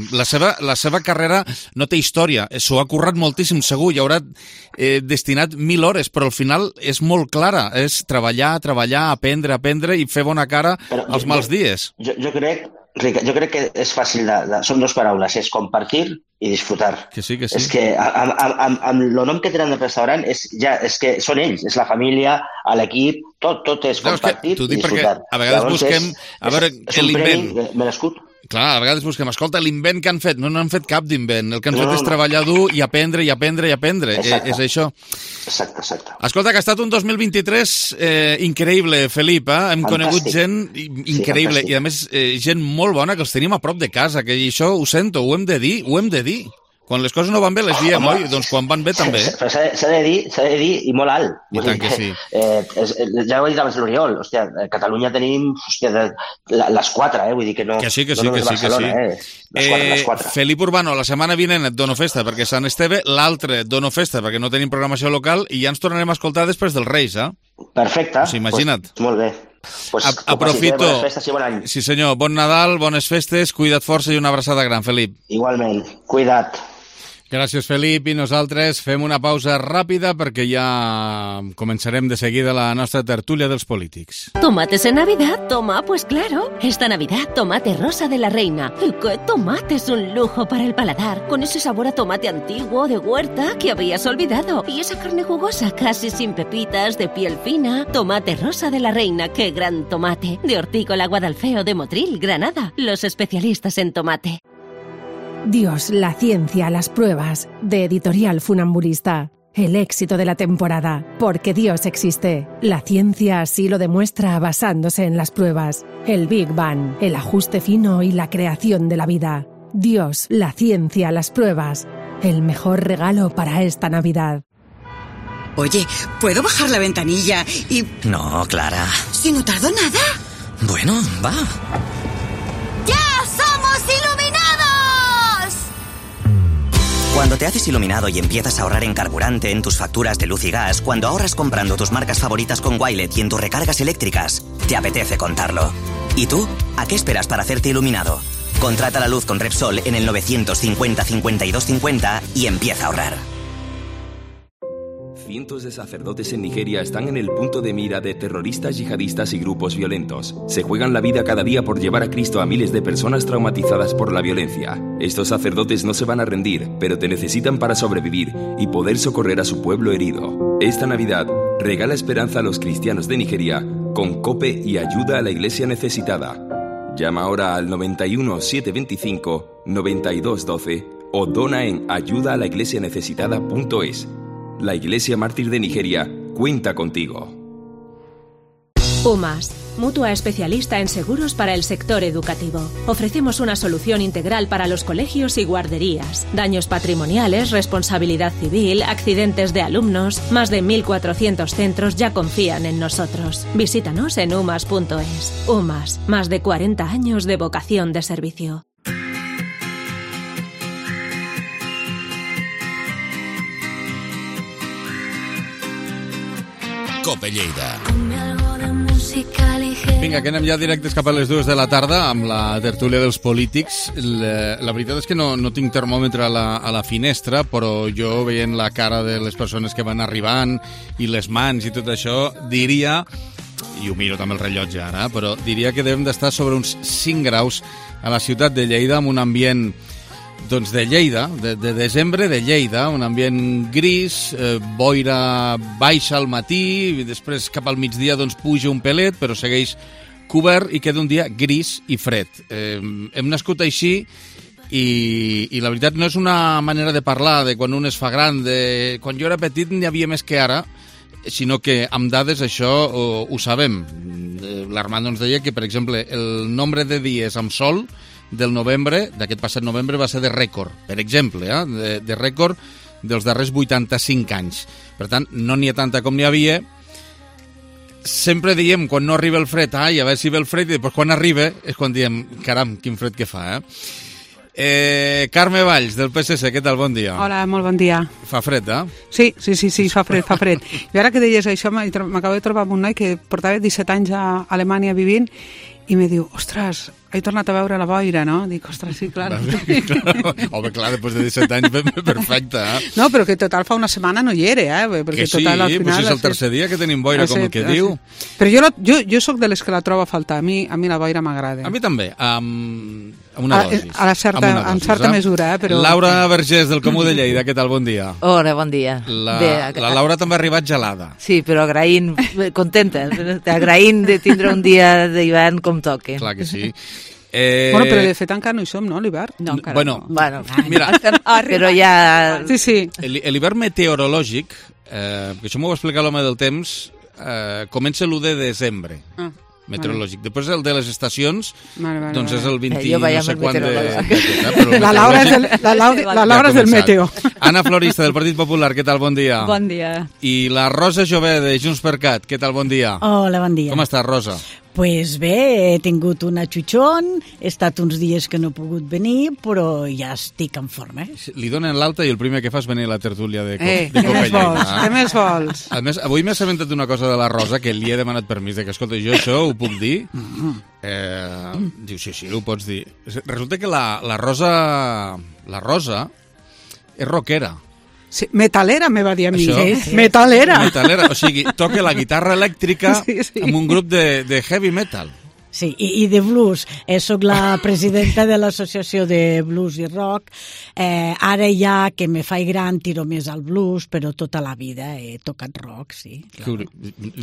La seva carrera no té història, s'ho ha currat moltíssim, segur, i haurà destinat 1.000 hores, però al final és molt clara, és treballar, aprendre i fer bona cara als mals dies. Jo crec que és fàcil, són dues paraules, és compartir i disfrutar. Que sí. És que amb el nom que tenen del restaurant és que són ells, és la família, l'equip, tot és compartir i disfrutar. A vegades busquem l'invent merescut. Clar, a vegades busquem, escolta, l'invent que han fet. No han fet cap d'invent. El que han fet és treballar dur i aprendre. És això. Exacte. Escolta, que ha estat un 2023 increïble, Felip. Hem conegut gent increïble i, a més, gent molt bona que els tenim a prop de casa, que això ho sento, ho hem de dir. Quan les coses no van bé les diem, oi? Doncs quan van bé també. Però s'ha de dir i molt alt. I tant que sí. Ja ho he dit abans l'Oriol, hòstia, a Catalunya tenim les 4, vull dir que no... Que sí. Les 4. Felip Urbano, la setmana vinent et dono festa perquè Sant Esteve, l'altre et dono festa perquè no tenim programació local i ja ens tornarem a escoltar després dels Reis, eh? Perfecte. Pues imagina't. Molt bé. Aprofito. Bones festes i bon any. Sí senyor, bon Nadal, bones festes, cuida't força i una abraçada gran, Felip. Igualment, cuida't. Gràcies, Felip, i nosaltres fem una pausa ràpida perquè ja començarem de seguida la nostra tertúlia dels polítics. ¿Tomates en Navidad? Toma, pues claro. Esta Navidad, tomate rosa de la reina. ¿Y qué tomate? Es un lujo para el paladar, con ese sabor a tomate antiguo de huerta que habías olvidado. Y esa carne jugosa, casi sin pepitas, de piel fina. Tomate rosa de la reina, qué gran tomate. De Hortícola Guadalfeo de Motril, Granada. Los especialistas en tomate. Dios, la ciencia, las pruebas, de Editorial Funambulista. El éxito de la temporada, porque Dios existe. La ciencia así lo demuestra basándose en las pruebas. El Big Bang, el ajuste fino y la creación de la vida. Dios, la ciencia, las pruebas. El mejor regalo para esta Navidad. Oye, ¿puedo bajar la ventanilla y...? No, Clara. ¿Si no tardo nada? Bueno, va. ¡Ya somos iluminados! Cuando te haces iluminado y empiezas a ahorrar en carburante, en tus facturas de luz y gas, cuando ahorras comprando tus marcas favoritas con Wilet y en tus recargas eléctricas, te apetece contarlo. ¿Y tú? ¿A qué esperas para hacerte iluminado? Contrata la luz con Repsol en el 950 52 50 y empieza a ahorrar. Cientos de sacerdotes en Nigeria están en el punto de mira de terroristas yihadistas y grupos violentos. Se juegan la vida cada día por llevar a Cristo a miles de personas traumatizadas por la violencia. Estos sacerdotes no se van a rendir, pero te necesitan para sobrevivir y poder socorrer a su pueblo herido. Esta Navidad, regala esperanza a los cristianos de Nigeria con COPE y ayuda a la iglesia necesitada. Llama ahora al 91 725 92 12 o dona en ayudaalaiglesianecesitada.es. La Iglesia Mártir de Nigeria cuenta contigo. UMAS, mutua especialista en seguros para el sector educativo. Ofrecemos una solución integral para los colegios y guarderías. Daños patrimoniales, responsabilidad civil, accidentes de alumnos. Más de 1.400 centros ya confían en nosotros. Visítanos en umas.es. UMAS, más de 40 años de vocación de servicio. Cope Lleida. Vinga, que anem ja directes cap a les 2 de la tarda amb la tertúlia dels polítics. La veritat és que no tinc termòmetre a la finestra, però jo veient la cara de les persones que van arribant i les mans i tot això, diria, i ho miro també el rellotge ara, però diria que devem d'estar sobre uns 5 graus a la ciutat de Lleida amb un ambient doncs de Lleida, de desembre de Lleida, un ambient gris, boira baixa al matí, i després cap al migdia doncs puja un pelet, però segueix cobert i queda un dia gris i fred. Hem nascut així I la veritat no és una manera de parlar de quan un es fa gran, de quan jo era petit n'hi havia més que ara, sinó que amb dades això ho sabem. L'Armando ens deia que, per exemple, el nombre de dies amb sol del novembre, d'aquest passat novembre, va ser de rècord, per exemple, de rècord dels darrers 85 anys. Per tant, no n'hi ha tanta com n'hi havia. Sempre diem, quan no arriba el fred, a veure si ve el fred, i després quan arriba és quan diem, caram, quin fred que fa, Carme Valls, del PSC, què tal? Bon dia. Hola, molt bon dia. Fa fred, Sí, fa fred. I ara que deies això, m'acabo de trobar amb un noi que portava 17 anys a Alemanya vivint i me diu, ostres, he tornat a veure la boira, no? Dic, ostres, sí, clar. Home, clar, després de 17 anys, perfecte, No, però que total fa una setmana no hi era, Perquè que sí, total, al final, és el tercer dia que tenim boira, com el que diu. Però jo soc de les que la trobo a faltar, a mi la boira m'agrada. A mi també, amb una dosis. En certa mesura, però... Laura Vergés, del Comú de Lleida, què tal? Bon dia. Hola, bon dia. La Laura també ha arribat gelada. Sí, però agraint, contenta, agraint de tindre un dia d'hivern com toque. Clar que sí. Bueno, però de fet encara no hi som, no, l'hivern? No, encara bueno, no. Bueno, mira, però ja... Sí. L'hivern meteorològic, que això m'ho va explicar l'home del temps, comença l'1 de desembre. Meteorològic. Després el de les estacions, doncs és el 20 no sé quant de... La Laura és del meteo. Anna Florista, del Partit Popular, què tal? Bon dia. Bon dia. I la Rosa Jové, de JxCat, què tal? Bon dia. Hola, bon dia. Com estàs, Rosa? Pues bé, he tingut una xutxon, he estat uns dies que no he pogut venir, però ja estic en forma. Li donen l'alta i el primer que fa és venir a la tertúlia de Què més vols? A més, avui m'he assabentat una cosa de la Rosa, que li he demanat permís, que escolta, jo això ho puc dir? Diu, sí, ho pots dir. Resulta que la Rosa és rockera. Sí, metalera, me va dir a mi. Sí. Metalera. O sigui, toca la guitarra elèctrica amb un grup de heavy metal. Sí, i de blues. Soc la presidenta de l'associació de blues i rock. Ara ja que me faig gran tiro més al blues, però tota la vida he tocat rock, sí.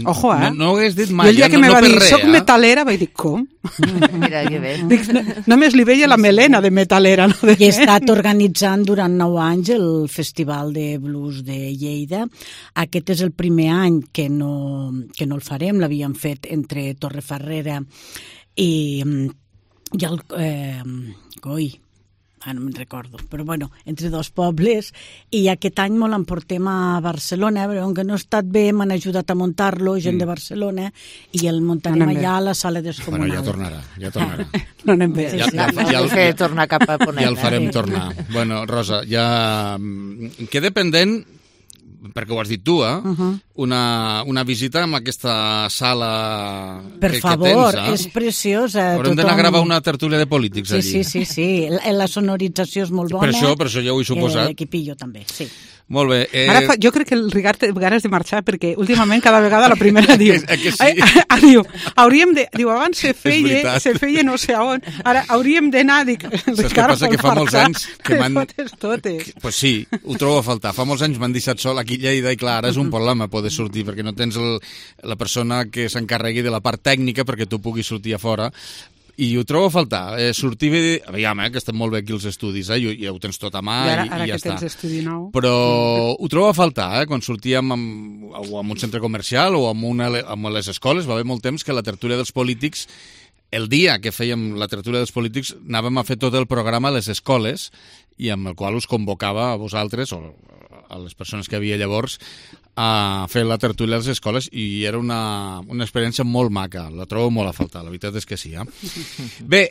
Ojo, No ho hagués dit mai. I el dia que me va dir, soc metalera, vaig dir, com? Mira, que bé. Només li veia la melena de metalera. I he estat organitzant durant 9 anys el Festival de Blues de Lleida. Aquest és el primer any que no el farem, l'havíem fet entre Torrefarrera i el no me'n recordo, però bueno, entre dos pobles, i aquest any me l'emportem a Barcelona, però com que no ha estat bé m'han ajudat a muntar-lo, gent de Barcelona, i el muntarem allà a la sala descomunal. Bueno, ja tornarà. No anem bé. Ja el fer tornar cap a Ponent. Ja el farem tornar. Bueno, Rosa, ja queda pendent, perquè ho has dit tu, una visita en aquesta sala per favor, és preciosa. Haurem d'anar a gravar una tertúlia de polítics allí. Sí. La sonorització és molt bona. Per això ja ho he suposat. L'equipillo també, sí. Molt bé. Ara jo crec que el Ricard té ganes de marxar, perquè últimament cada vegada la primera diu... que sí. Diu, abans se feia no sé on, ara hauríem d'anar... Saps què passa? Que fa molts anys que m'han... totes. Pues sí, ho trobo a faltar. Fa molts anys m'han deixat sol aquí a Lleida i clar, ara és un problema poder sortir, perquè no tens la persona que s'encarregui de la part tècnica perquè tu puguis sortir a fora. I ho trobo a faltar. Sortir bé... Aviam, que estem molt bé aquí els estudis, ja ho tens tot a mà i ja està. Ara que tens estudi nou. Però ho trobo a faltar, quan sortíem o en un centre comercial o amb les escoles. Va haver molt temps que la tertúlia dels polítics, el dia que fèiem la tertúlia dels polítics, anàvem a fer tot el programa a les escoles i amb el qual us convocava a vosaltres o a les persones que havia llavors a fer la tertúlia a les escoles i era una experiència molt maca, la trobo molt a faltar, la veritat és que sí. Bé,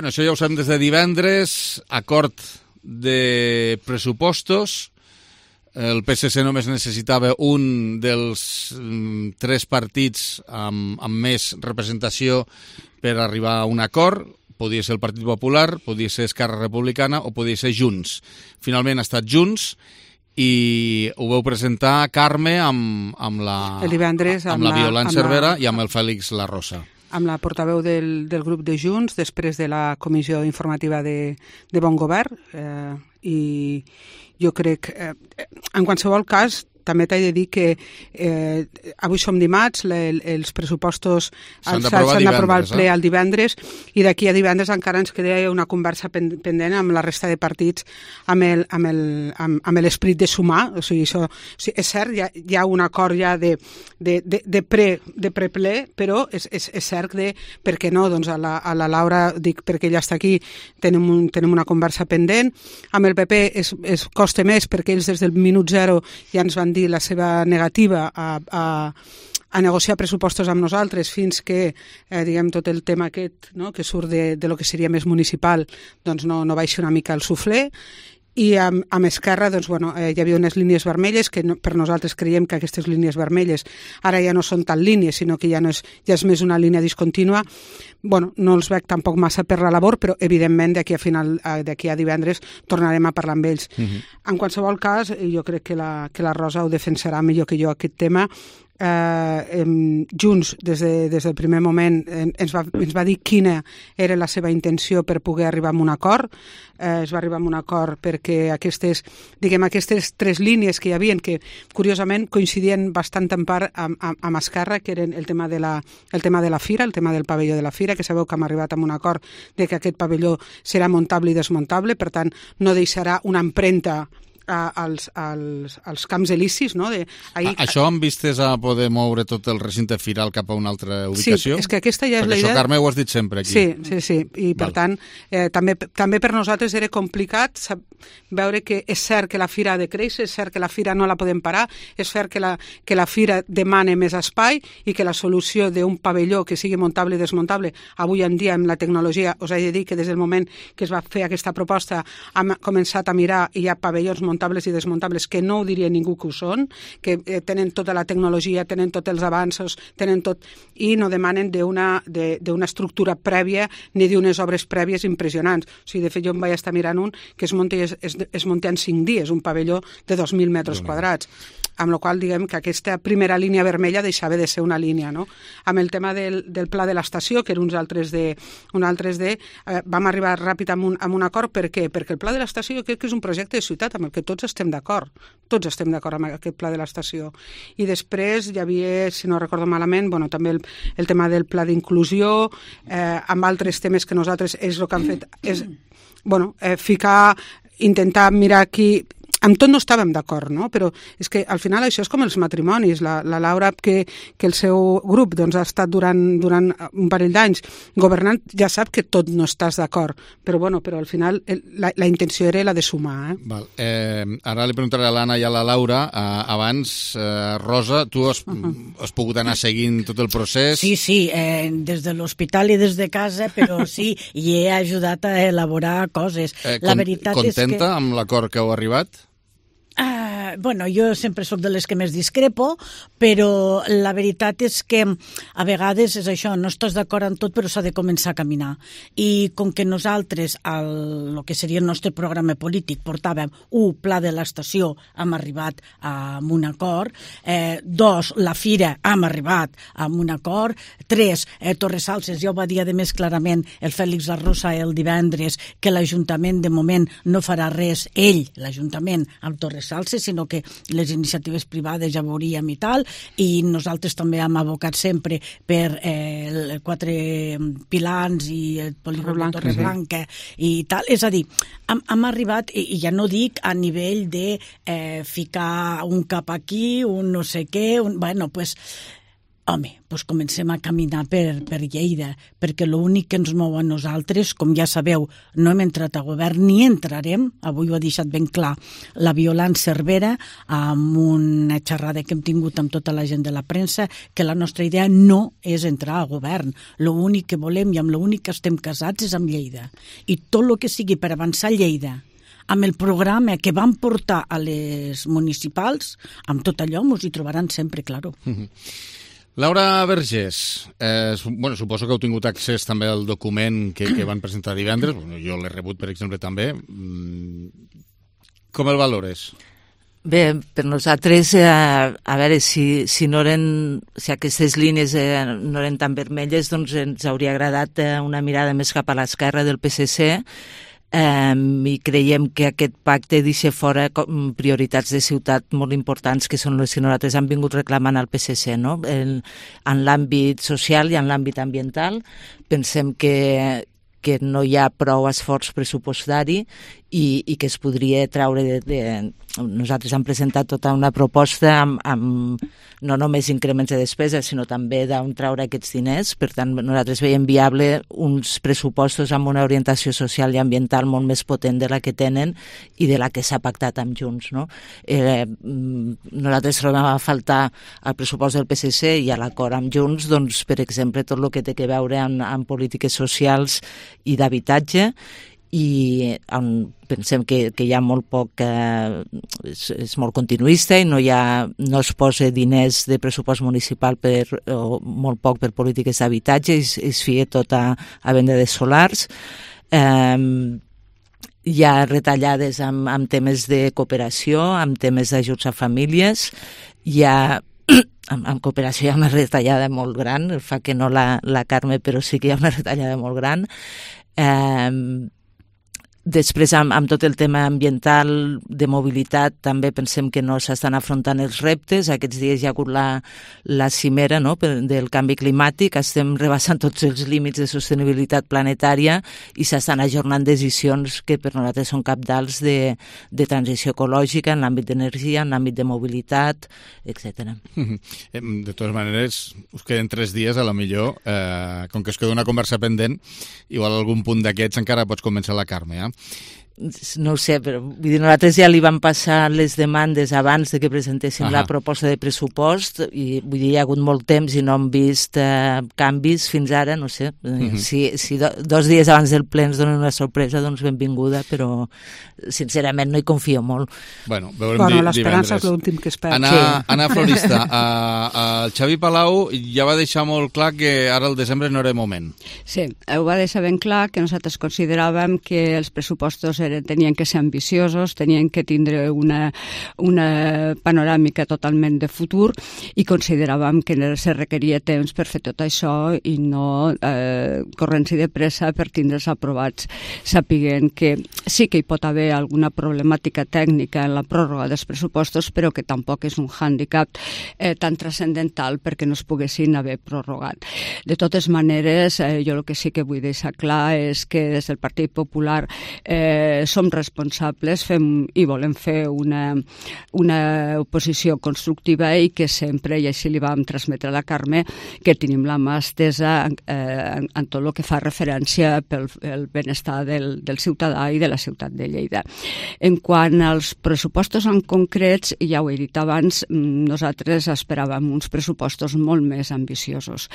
això ja ho sabem des de divendres, acord de pressupostos, el PSC només necessitava un dels 3 partits amb més representació per arribar a un acord. Podia ser el Partit Popular, podia ser Esquerra Republicana o podia ser Junts. Finalment ha estat Junts i ho vau presentar, Carme, amb la Violant Cervera i amb el Fèlix La Rosa. Amb la portaveu del grup de Junts, després de la comissió informativa de Bon Govern, i jo crec, en qualsevol cas, també t'he de dir que avui som dimarts, els pressupostos s'han d'aprovar al ple el divendres, i d'aquí a divendres encara ens queda una conversa pendent amb la resta de partits amb l'esperit de sumar. O sigui, és cert, hi ha un acord ja de preple, però és cert de, per què no, doncs a la Laura, dic perquè ella està aquí, tenim una conversa pendent. Amb el PP es costa més perquè ells des del minut zero ja ens van dir la seva negativa a negociar pressupostos amb nosaltres fins que, diguem, tot el tema aquest, no?, que surt de lo que seria més municipal, doncs no baixi una mica el suflé. I amb Esquerra, doncs, bueno, hi havia unes línies vermelles que per nosaltres creiem que aquestes línies vermelles ara ja no són tan línies, sinó que ja és més una línia discontínua. Bueno, no els veig tampoc massa per la labor, però evidentment d'aquí a divendres tornarem a parlar amb ells. En qualsevol cas, jo crec que la Rosa ho defensarà millor que jo aquest tema. Junts des del primer moment ens va dir quina era la seva intenció per poder arribar a un acord. Es va arribar a un acord perquè aquestes tres línies que hi havia, que curiosament coincidien bastant en part amb Esquerra, que eren el tema de la fira, el tema del pavelló de la fira, que sabeu que hem arribat a un acord de que aquest pavelló serà muntable i desmuntable, per tant no deixarà una empremta als camps elisis, no? Això amb vistes a poder moure tot el recinte firal cap a una altra ubicació? Sí, és que aquesta ja és la idea. Perquè això, Carme, ho has dit sempre aquí. Sí. I per tant, també per nosaltres era complicat veure que és cert que la fira ha de créixer, és cert que la fira no la podem parar, és cert que la fira demana més espai i que la solució d'un pavelló que sigui muntable i desmuntable, avui en dia amb la tecnologia, us he de dir que des del moment que es va fer aquesta proposta hem començat a mirar i hi ha pavellons muntables i desmuntables que no ho diria ningú que ho són, que tenen tota la tecnologia, tenen tots els avanços, tenen tot, i no demanen d'una estructura prèvia ni d'unes obres prèvies impressionants. O sigui, de fet, jo em vaig estar mirant un que es munta en 5 dies, un pavelló de 2.000 metres quadrats. Amb la qual diguem que aquesta primera línia vermella deixava de ser una línia, no? Amb el tema del pla de l'estació, que era un altres de vam arribar ràpid amb un acord. Per què? Perquè el pla de l'estació jo crec que és un projecte de ciutat amb el que tots estem d'acord. Tots estem d'acord amb aquest pla de l'estació. I després hi havia, si no recordo malament, bueno, també el tema del pla d'inclusió, amb altres temes que nosaltres és el que han fet, és intentar mirar aquí. Amb tot no estàvem d'acord, no? Però és que al final això és com els matrimonis. La Laura, que el seu grup doncs, ha estat durant un parell d'anys governant, ja sap que tot no estàs d'acord, però al final la intenció era la de sumar. Val. Ara li preguntaré a l'Anna i a la Laura. Abans, Rosa, tu has pogut anar seguint tot el procés? Sí, des de l'hospital i des de casa, però sí, i he ajudat a elaborar coses. La veritat és que... Contenta amb l'acord que heu arribat? Jo sempre sóc de les que més discrepo, però la veritat és que a vegades és això, no estàs d'acord en tot, però s'ha de començar a caminar. I com que nosaltres, el que seria el nostre programa polític, portàvem pla de l'estació, hem arribat a un acord, 2, la fira, hem arribat a un acord, 3, Torresalses, ja ho va dir a més clarament el Fèlix Arrosa el divendres, que l'Ajuntament de moment no farà res, l'Ajuntament amb Torresalses, sinó que les iniciatives privades ja veuríem i tal, i nosaltres també hem abocat sempre per 4 pilans i el polígon de Torreblanca i tal. És a dir, hem arribat, i ja no dic a nivell de ficar un cap aquí, un no sé què, comencem a caminar per Lleida, perquè l'únic que ens mou a nosaltres, com ja sabeu, no hem entrat a govern ni entrarem, avui ho ha deixat ben clar la Violant Cervera, amb una xerrada que hem tingut amb tota la gent de la premsa, que la nostra idea no és entrar a govern. L'únic que volem i amb l'únic que estem casats és amb Lleida. I tot el que sigui per avançar Lleida, amb el programa que vam portar a les municipals, amb tot allò ens hi trobaran sempre, claro. Laura Vergés, suposo que heu tingut accés també al document que van presentar divendres, jo l'he rebut, per exemple, també. Com el valores? Bé, per nosaltres, a veure, si aquestes línies no eren tan vermelles, doncs ens hauria agradat una mirada més cap a l'esquerra del PSC, i creiem que aquest pacte deixa fora prioritats de ciutat molt importants que són les que nosaltres hem vingut reclamant al PSC, no? En l'àmbit social i en l'àmbit ambiental. Pensem que no hi ha prou esforç pressupostari i que es podria treure nosaltres hem presentat tota una proposta amb no només increments de despesa, sinó també d'on treure aquests diners. Per tant, nosaltres veiem viable uns pressupostos amb una orientació social i ambiental molt més potent de la que tenen i de la que s'ha pactat amb Junts, no? Nosaltres trobem a faltar el pressupost del PSC i a l'acord amb Junts, doncs, per exemple, tot el que té a veure amb polítiques socials i d'habitatge, i pensem que hi ha molt poc, és molt continuista i no es posa diners de pressupost municipal o molt poc per polítiques d'habitatge, es fia tot a venda de solars. Hi ha retallades amb temes de cooperació, amb temes d'ajuts a famílies, amb cooperació hi ha una retallada molt gran, fa que no la Carme, però sí que hi ha una retallada molt gran. Després, amb tot el tema ambiental, de mobilitat, també pensem que no s'estan afrontant els reptes. Aquests dies hi ha hagut la cimera, no?, del canvi climàtic. Estem rebassant tots els límits de sostenibilitat planetària i s'estan ajornant decisions que per nosaltres són cabdals de transició ecològica en l'àmbit d'energia, en l'àmbit de mobilitat, etc. De totes maneres, us queden 3 dies, a la millor. Com que es queda una conversa pendent, igual algun punt d'aquests encara pots convèncer la Carme, No ho sé, però nosaltres ja li vam passar les demandes abans de que presentéssim la proposta de pressupost i hi ha hagut molt temps i no hem vist canvis fins ara, no sé. Si 2 dies abans del ple ens donen una sorpresa, doncs benvinguda, però sincerament no hi confio molt. Bueno, veurem divendres. L'esperança és l'últim que espera. Anna Florista, el Xavi Palau ja va deixar molt clar que ara el desembre no era moment. Sí, ho va deixar ben clar, que nosaltres consideràvem que els pressupostos tenien que ser ambiciosos, tenien que tindre una panoràmica totalment de futur i consideràvem que se requeria temps per fer tot això i no corrents-hi de pressa per tindre'ls aprovats, sapiguent que sí que hi pot haver alguna problemàtica tècnica en la pròrroga dels pressupostos, però que tampoc és un hàndicap tan transcendental perquè no es poguessin haver prorrogat. De totes maneres, jo el que sí que vull deixar clar és que des del Partit Popular som responsables i volem fer una oposició constructiva i que sempre, i així li vam transmetre a la Carme, que tenim la mà estesa en tot el que fa referència pel benestar del ciutadà i de la ciutat de Lleida. En quant als pressupostos en concrets, ja ho he dit abans, nosaltres esperàvem uns pressupostos molt més ambiciosos.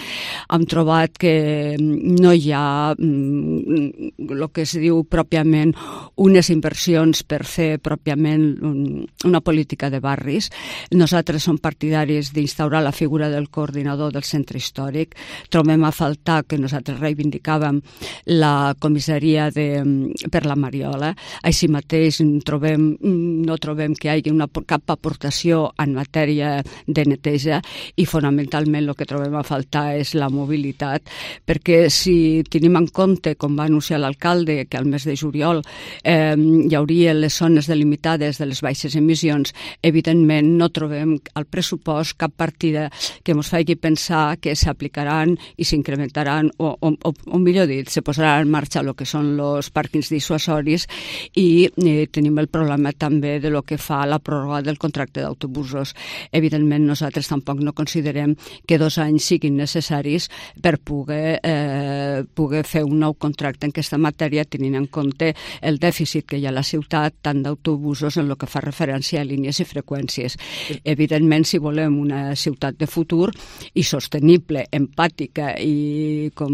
Hem trobat que no hi ha el que es diu pròpiament unes inversions per fer pròpiament una política de barris. Nosaltres som partidaris d'instaurar la figura del coordinador del centre històric. Trobem a faltar que nosaltres reivindicàvem la comissaria per la Mariola. Així mateix no trobem que hi hagi cap aportació en matèria de neteja i fonamentalment el que trobem a faltar és la mobilitat, perquè si tenim en compte, com va anunciar l'alcalde, que al mes de juliol hi hauria les zones delimitades de les baixes emissions, evidentment no trobem al pressupost cap partida que ens faci pensar que s'aplicaran i s'incrementaran o millor dit, se posarà en marxa el que són els pàrquings dissuasoris i tenim el problema també de lo que fa la pròrroga del contracte d'autobusos. Evidentment nosaltres tampoc no considerem que 2 anys siguin necessaris per poder fer un nou contracte en aquesta matèria, tenint en compte el dèficit que hi ha a la ciutat, tant d'autobusos en el que fa referència a línies i freqüències. Evidentment, si volem una ciutat de futur i sostenible, empàtica i com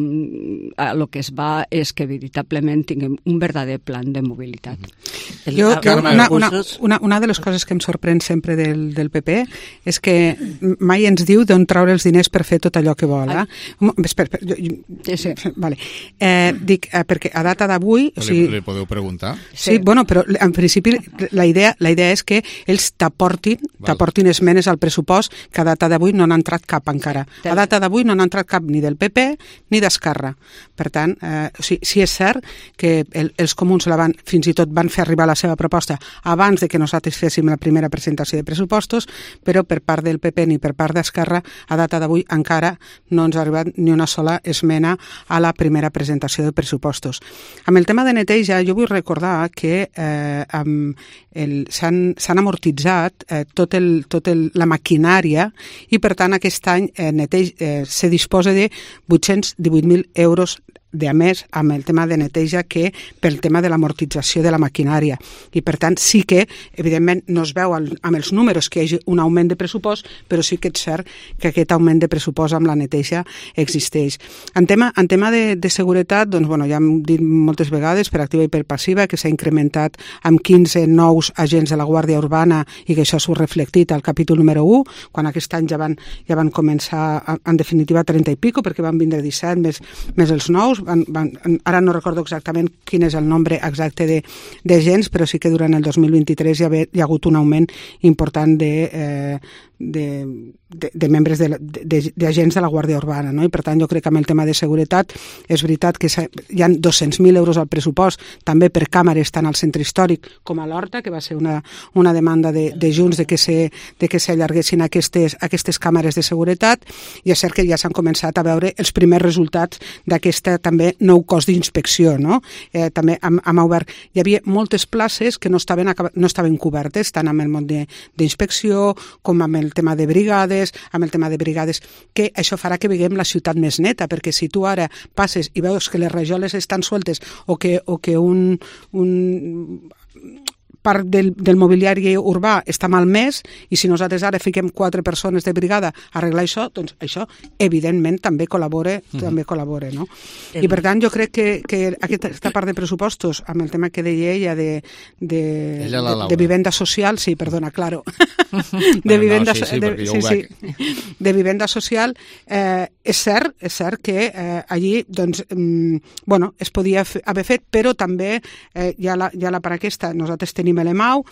el que es va és que veritablement tinguem un verdader plan de mobilitat. Una de les coses que em sorprèn sempre del PP és que mai ens diu d'on treure els diners per fer tot allò que vol. Dic, perquè a data d'avui... Li podeu preguntar compte. Sí, bueno, però en principi la idea és que ells t'aportin esmenes al pressupost que a data d'avui no n'ha entrat cap encara. A data d'avui no n'ha entrat cap ni del PP ni d'Esquerra. Per tant, sí és cert que els comuns fins i tot van fer arribar la seva proposta abans de que nosaltres féssim la primera presentació de pressupostos, però per part del PP ni per part d'Esquerra a data d'avui encara no ens ha arribat ni una sola esmena a la primera presentació de pressupostos. Amb el tema de neteja, jo vull recordar que s'han amortitzat tota la maquinària i, per tant, aquest any se disposa de 818.000 euros de més amb el tema de neteja que pel tema de l'amortització de la maquinària. I, per tant, sí que, evidentment, no es veu amb els números que hi hagi un augment de pressupost, però sí que és cert que aquest augment de pressupost amb la neteja existeix. En tema de seguretat, doncs, bueno, ja hem dit moltes vegades, per activa i per passiva, que s'ha incrementat amb 15 nous agents de la Guàrdia Urbana i que això s'ho reflectit al capítol número 1, quan aquest any ja van començar, en definitiva, 30 i pico, perquè van vindre 17 més els nous. Ara no recordo exactament quin és el nombre exacte d'agents, però sí que durant el 2023 hi ha hagut un augment important de membres d'agents de la Guàrdia Urbana, no? I per tant jo crec que amb el tema de seguretat és veritat que hi ha 200.000 euros al pressupost també per càmeres tant al centre històric com a l'Horta, que va ser una demanda de Junts de que s'allarguessin aquestes càmeres de seguretat, i és cert que ja s'han començat a veure els primers resultats d'aquesta també nou cos d'inspecció, no? També hem obert, hi havia moltes places que no estaven cobertes tant amb el món d'inspecció com amb el tema de brigades, que això farà que veiem la ciutat més neta, perquè si tu ara passes i veus que les rajoles estan sueltes o que un part del mobiliari urbà està malmès, i si nosaltres ara fiquem 4 persones de brigada a arreglar això, doncs això evidentment també col·labora, no? I per tant jo crec que aquesta part de pressupostos, amb el tema que deia ella de vivenda social, sí, perdona, claro, de vivenda social, és cert que allí doncs, bueno, es podia haver fet, però també ja la part aquesta, nosaltres tenim l'EMAU,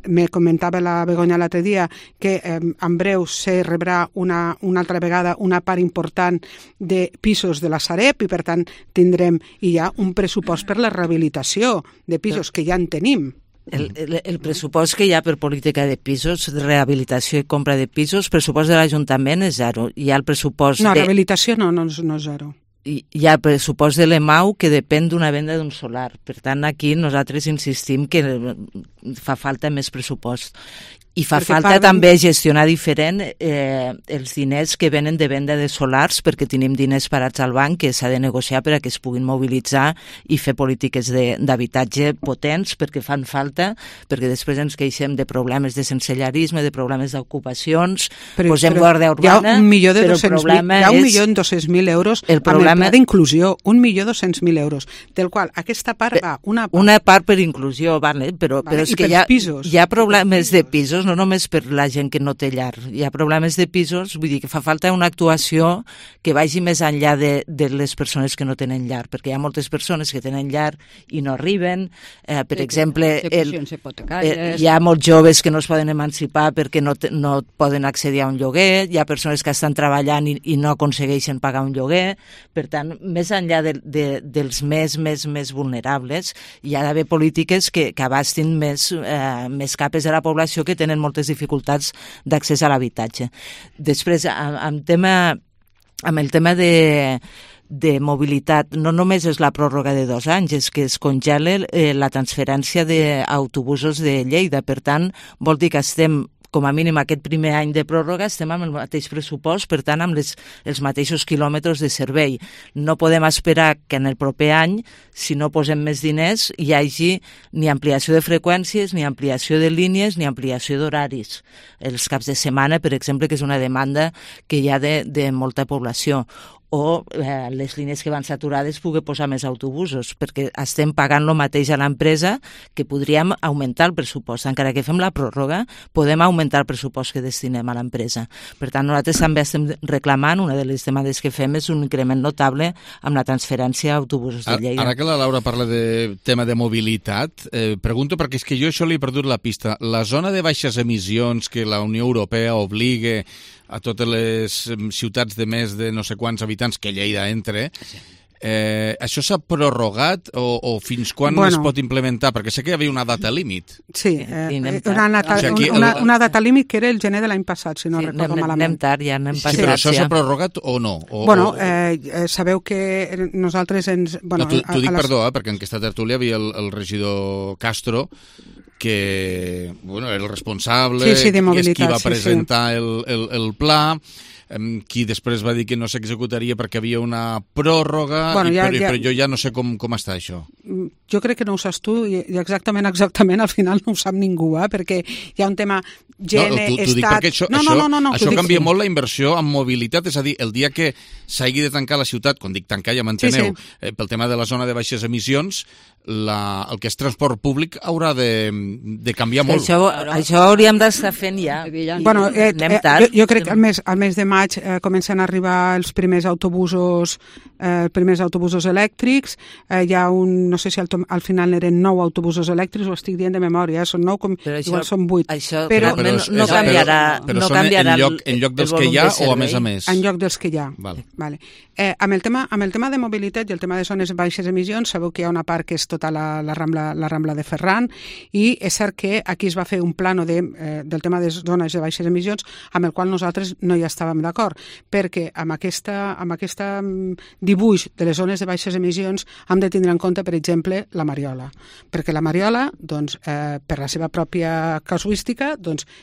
me comentava la Begoña l'altre dia que en breu se rebrà una altra vegada una part important de pisos de la Sareb, i per tant tindrem ja un pressupost per la rehabilitació de pisos que ja en tenim. El pressupost que hi ha per política de pisos, rehabilitació i compra de pisos, pressupost de l'Ajuntament és zero. Hi ha el pressupost rehabilitació no és zero. Hi ha el pressupost de l'EMAU que depèn d'una venda d'un solar. Per tant, aquí nosaltres insistim que fa falta més pressupost. I fa falta també gestionar diferent els diners que venen de venda de solars, perquè tenim diners parats al banc que s'ha de negociar per a que es puguin mobilitzar i fer polítiques d'habitatge potents, perquè fan falta, perquè després ens queixem de problemes de sensellarisme, de problemes d'ocupacions, posem guàrdia urbana, però el problema és... Hi ha 1.200.000 euros amb el pla d'inclusió, 1.200.000 euros, del qual aquesta part va una part per inclusió, però és que hi ha problemes de pisos, no només per la gent que no té llar. Hi ha problemes de pisos, vull dir que fa falta una actuació que vagi més enllà de les persones que no tenen llar, perquè hi ha moltes persones que tenen llar i no arriben. Per exemple, hi ha molts joves que no es poden emancipar perquè no poden accedir a un lloguer, hi ha persones que estan treballant i no aconsegueixen pagar un lloguer. Per tant, més enllà dels més vulnerables, hi ha d'haver polítiques que abastin més capes de la població que tenen moltes dificultats d'accés a l'habitatge. Després, amb el tema de mobilitat, no només és la pròrroga de 2 anys, és que es congela la transferència d'autobusos de Lleida. Per tant, vol dir que estem com a mínim aquest primer any de pròrroga estem amb el mateix pressupost, per tant amb els mateixos quilòmetres de servei. No podem esperar que en el proper any, si no posem més diners, hi hagi ni ampliació de freqüències, ni ampliació de línies, ni ampliació d'horaris. Els caps de setmana, per exemple, que és una demanda que hi ha de molta població. o les línies que van saturades pugui posar més autobusos, perquè estem pagant el mateix a l'empresa que podríem augmentar el pressupost. Encara que fem la pròrroga, podem augmentar el pressupost que destinem a l'empresa. Per tant, nosaltres també estem reclamant, una de les demandes que fem és un increment notable amb la transferència a autobusos de Lleida. Ara que la Laura parla de tema de mobilitat, pregunto perquè és que jo això li he perdut la pista. La zona de baixes emissions que la Unió Europea obliga a totes les ciutats de més de no sé quants habitants que Lleida entre, això s'ha prorrogat o fins quan es pot implementar? Perquè sé que hi havia una data límit. Sí, una data límit que era el gener de l'any passat, si no recordo malament. Anem tard, ja anem passat. Sí, però això s'ha prorrogat o no? Sabeu que nosaltres ens... T'ho dic, perdó, perquè en aquesta tertúlia havia el regidor Castro, que era el responsable, és qui va presentar el pla, qui després va dir que no s'executaria perquè havia una pròrroga, però jo ja no sé com està això. Jo crec que no ho saps tu, i exactament al final no ho sap ningú, perquè hi ha un tema Estat... Això canvia molt la inversió en mobilitat, és a dir, el dia que s'hagi de tancar la ciutat, quan dic tancar ja m'enteneu, pel tema de la zona de baixes emissions, el que és transport públic haurà de canviar molt. Això hauríem d'estar fent ja. Jo crec que al mes de maig comencen a arribar els primers autobusos elèctrics. Hi ha no sé si al final eren 9 autobusos elèctrics, ho estic dient de memòria, són 9, igual són 8. Però no canviarà en lloc dels que hi ha o a més a més? En lloc dels que hi ha. Amb el tema de mobilitat i el tema de zones de baixes emissions, sabeu que hi ha una part que és tota la Rambla de Ferran, i és cert que aquí es va fer un plano del tema de zones de baixes emissions amb el qual nosaltres no hi estàvem d'acord, perquè amb aquesta dibuix de les zones de baixes emissions hem de tindre en compte, per exemple, la Mariola, perquè la Mariola, per la seva pròpia casuística,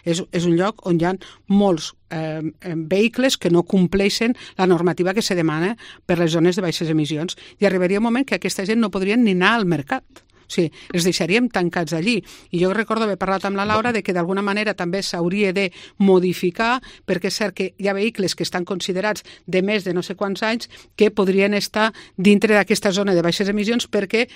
és un lloc on hi ha molts vehicles que no compleixen la normativa que se demana per les zones de baixes emissions, i arribaria un moment que aquesta gent no podrien ni anar al mercat. O sigui, els deixaríem tancats allí. I jo recordo haver parlat amb la Laura de que d'alguna manera també s'hauria de modificar, perquè és cert que hi ha vehicles que estan considerats de més de no sé quants anys que podrien estar dintre d'aquesta zona de baixes emissions perquè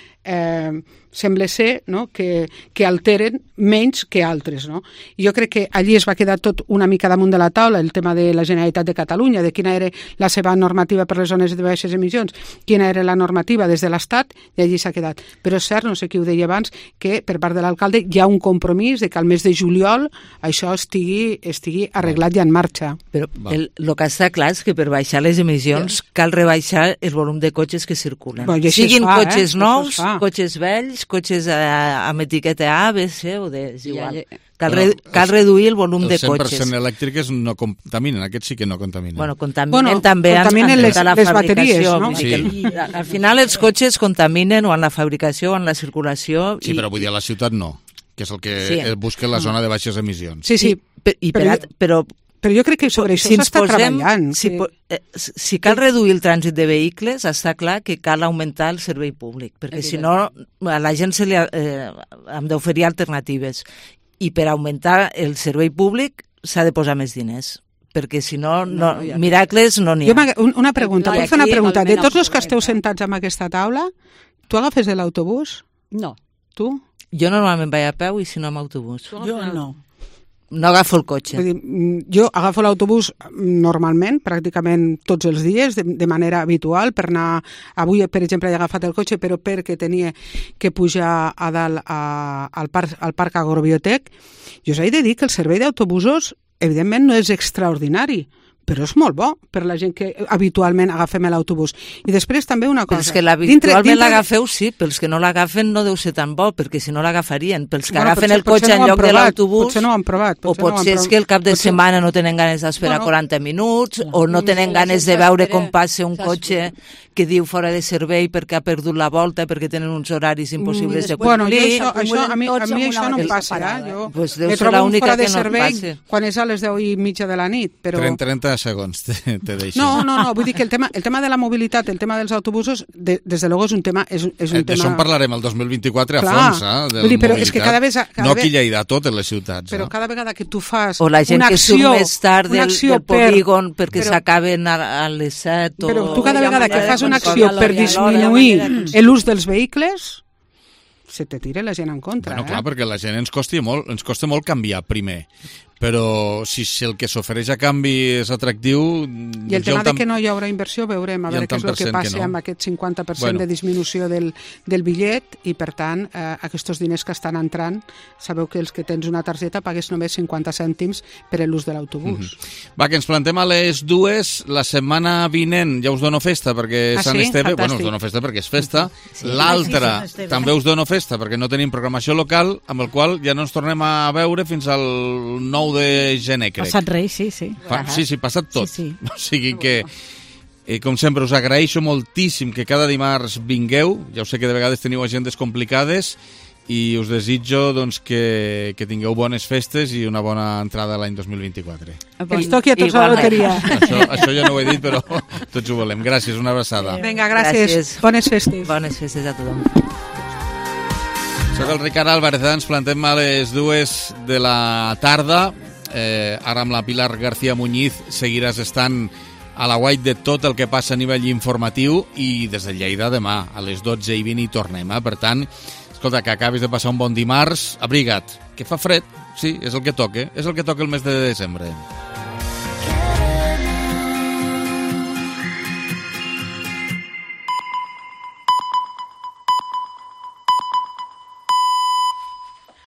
sembla ser que alteren menys que altres. I jo crec que allí es va quedar tot una mica damunt de la taula el tema de la Generalitat de Catalunya, de quina era la seva normativa per les zones de baixes emissions, quina era la normativa des de l'Estat, i allí s'ha quedat. Però és cert, no sé qui ho deia abans, que per part de l'alcalde hi ha un compromís de que al mes de juliol això estigui arreglat i en marxa. Però el que està clar és que per baixar les emissions cal rebaixar el volum de cotxes que circulen. Siguin cotxes nous, cotxes vells, cotxes amb etiqueta A, B, C o D, és igual. Cal reduir el volum de cotxes. Els 100% elèctriques no contaminen, aquests sí que no contaminen. Contaminen també les bateries, no? Al final els cotxes contaminen o en la fabricació o en la circulació. Sí, però vull dir a la ciutat no, que és el que busca la zona de baixes emissions. Sí, però jo crec que sobre això s'està treballant. Si cal reduir el trànsit de vehicles, està clar que cal augmentar el servei públic, perquè si no a la gent hem d'oferir alternatives. I per augmentar el servei públic s'ha de posar més diners, perquè si no, miracles no n'hi ha. Una pregunta, vull fer una pregunta. De tots els que esteu sentats en aquesta taula, tu agafes l'autobús? No. Tu? Jo normalment vaig a peu i si no amb autobús. Jo no. No agafo el cotxe. Jo agafo l'autobús normalment, pràcticament tots els dies, de manera habitual, per anar... Avui, per exemple, he agafat el cotxe, però perquè tenia que pujar a dalt al Parc Agrobiotec. Jo us he de dir que el servei d'autobusos, evidentment, no és extraordinari, però és molt bo per la gent que habitualment agafem l'autobús. I després també una cosa... Pels que habitualment l'agafeu, sí, pels que no l'agafen no deu ser tan bo, perquè si no l'agafarien. Pels que agafen el cotxe en lloc de l'autobús... Potser no ho han provat. O potser és que el cap de setmana no tenen ganes d'esperar 40 minuts, o no tenen ganes de veure com passa un cotxe que diu fora de servei perquè ha perdut la volta, perquè tenen uns horaris impossibles de complir. A mi això no em passa. Jo me trobo fora de servei quan és a les 10:30 de la nit. 30 segons te deixo. No, vull dir que el tema de la mobilitat, el tema dels autobusos, des de luego és un tema... D'això en parlarem el 2024 Clar. a fons, de Vull dir, però mobilitat. És que cada vegada, no aquí a Lleida, a totes les ciutats. Però cada vegada que tu fas o la gent una que acció, surt més tard del polígon perquè però, s'acaben a les 7 o... Però tu cada vegada que fas una acció per disminuir l'ús dels vehicles, se te tira la gent en contra. Bueno, clar, perquè la gent ens costa molt canviar primer. Però si el que s'ofereix a canvi és atractiu... I el tema de que no hi haurà inversió, veurem, a veure què és el que passa amb aquest 50% de disminució del bitllet i, per tant, aquests diners que estan entrant, sabeu que els que tens una targeta pagues només 50 cèntims per l'ús de l'autobús. Va, que ens plantem a les 2, la setmana vinent ja us dono festa perquè Sant Esteve, bueno, us dono festa perquè és festa, l'altra també us dono festa perquè no tenim programació local, amb el qual ja no ens tornem a veure fins al 9 de gener, crec. Passat Reis, sí. Sí, passat tot. Sí. O sigui que, com sempre, us agraeixo moltíssim que cada dimarts vingueu. Ja ho sé que de vegades teniu agendes complicades i us desitjo doncs, que tingueu bones festes i una bona entrada a l'any 2024. Que ens toqui a tots la loteria. Això ja no ho he dit, però tots ho volem. Gràcies, una abraçada. Vinga, gràcies. Bones festes. Bones festes a tothom. Soc el Ricard Álvarez, ens plantem a les 2 de la tarda. Ara amb la Pilar García Muñiz seguiràs estant a la guait de tot el que passa a nivell informatiu i des de Lleida demà a les 12:20 hi tornem. Per tant, escolta, que acabis de passar un bon dimarts, abriga't, que fa fred, sí, és el que toca el mes de desembre.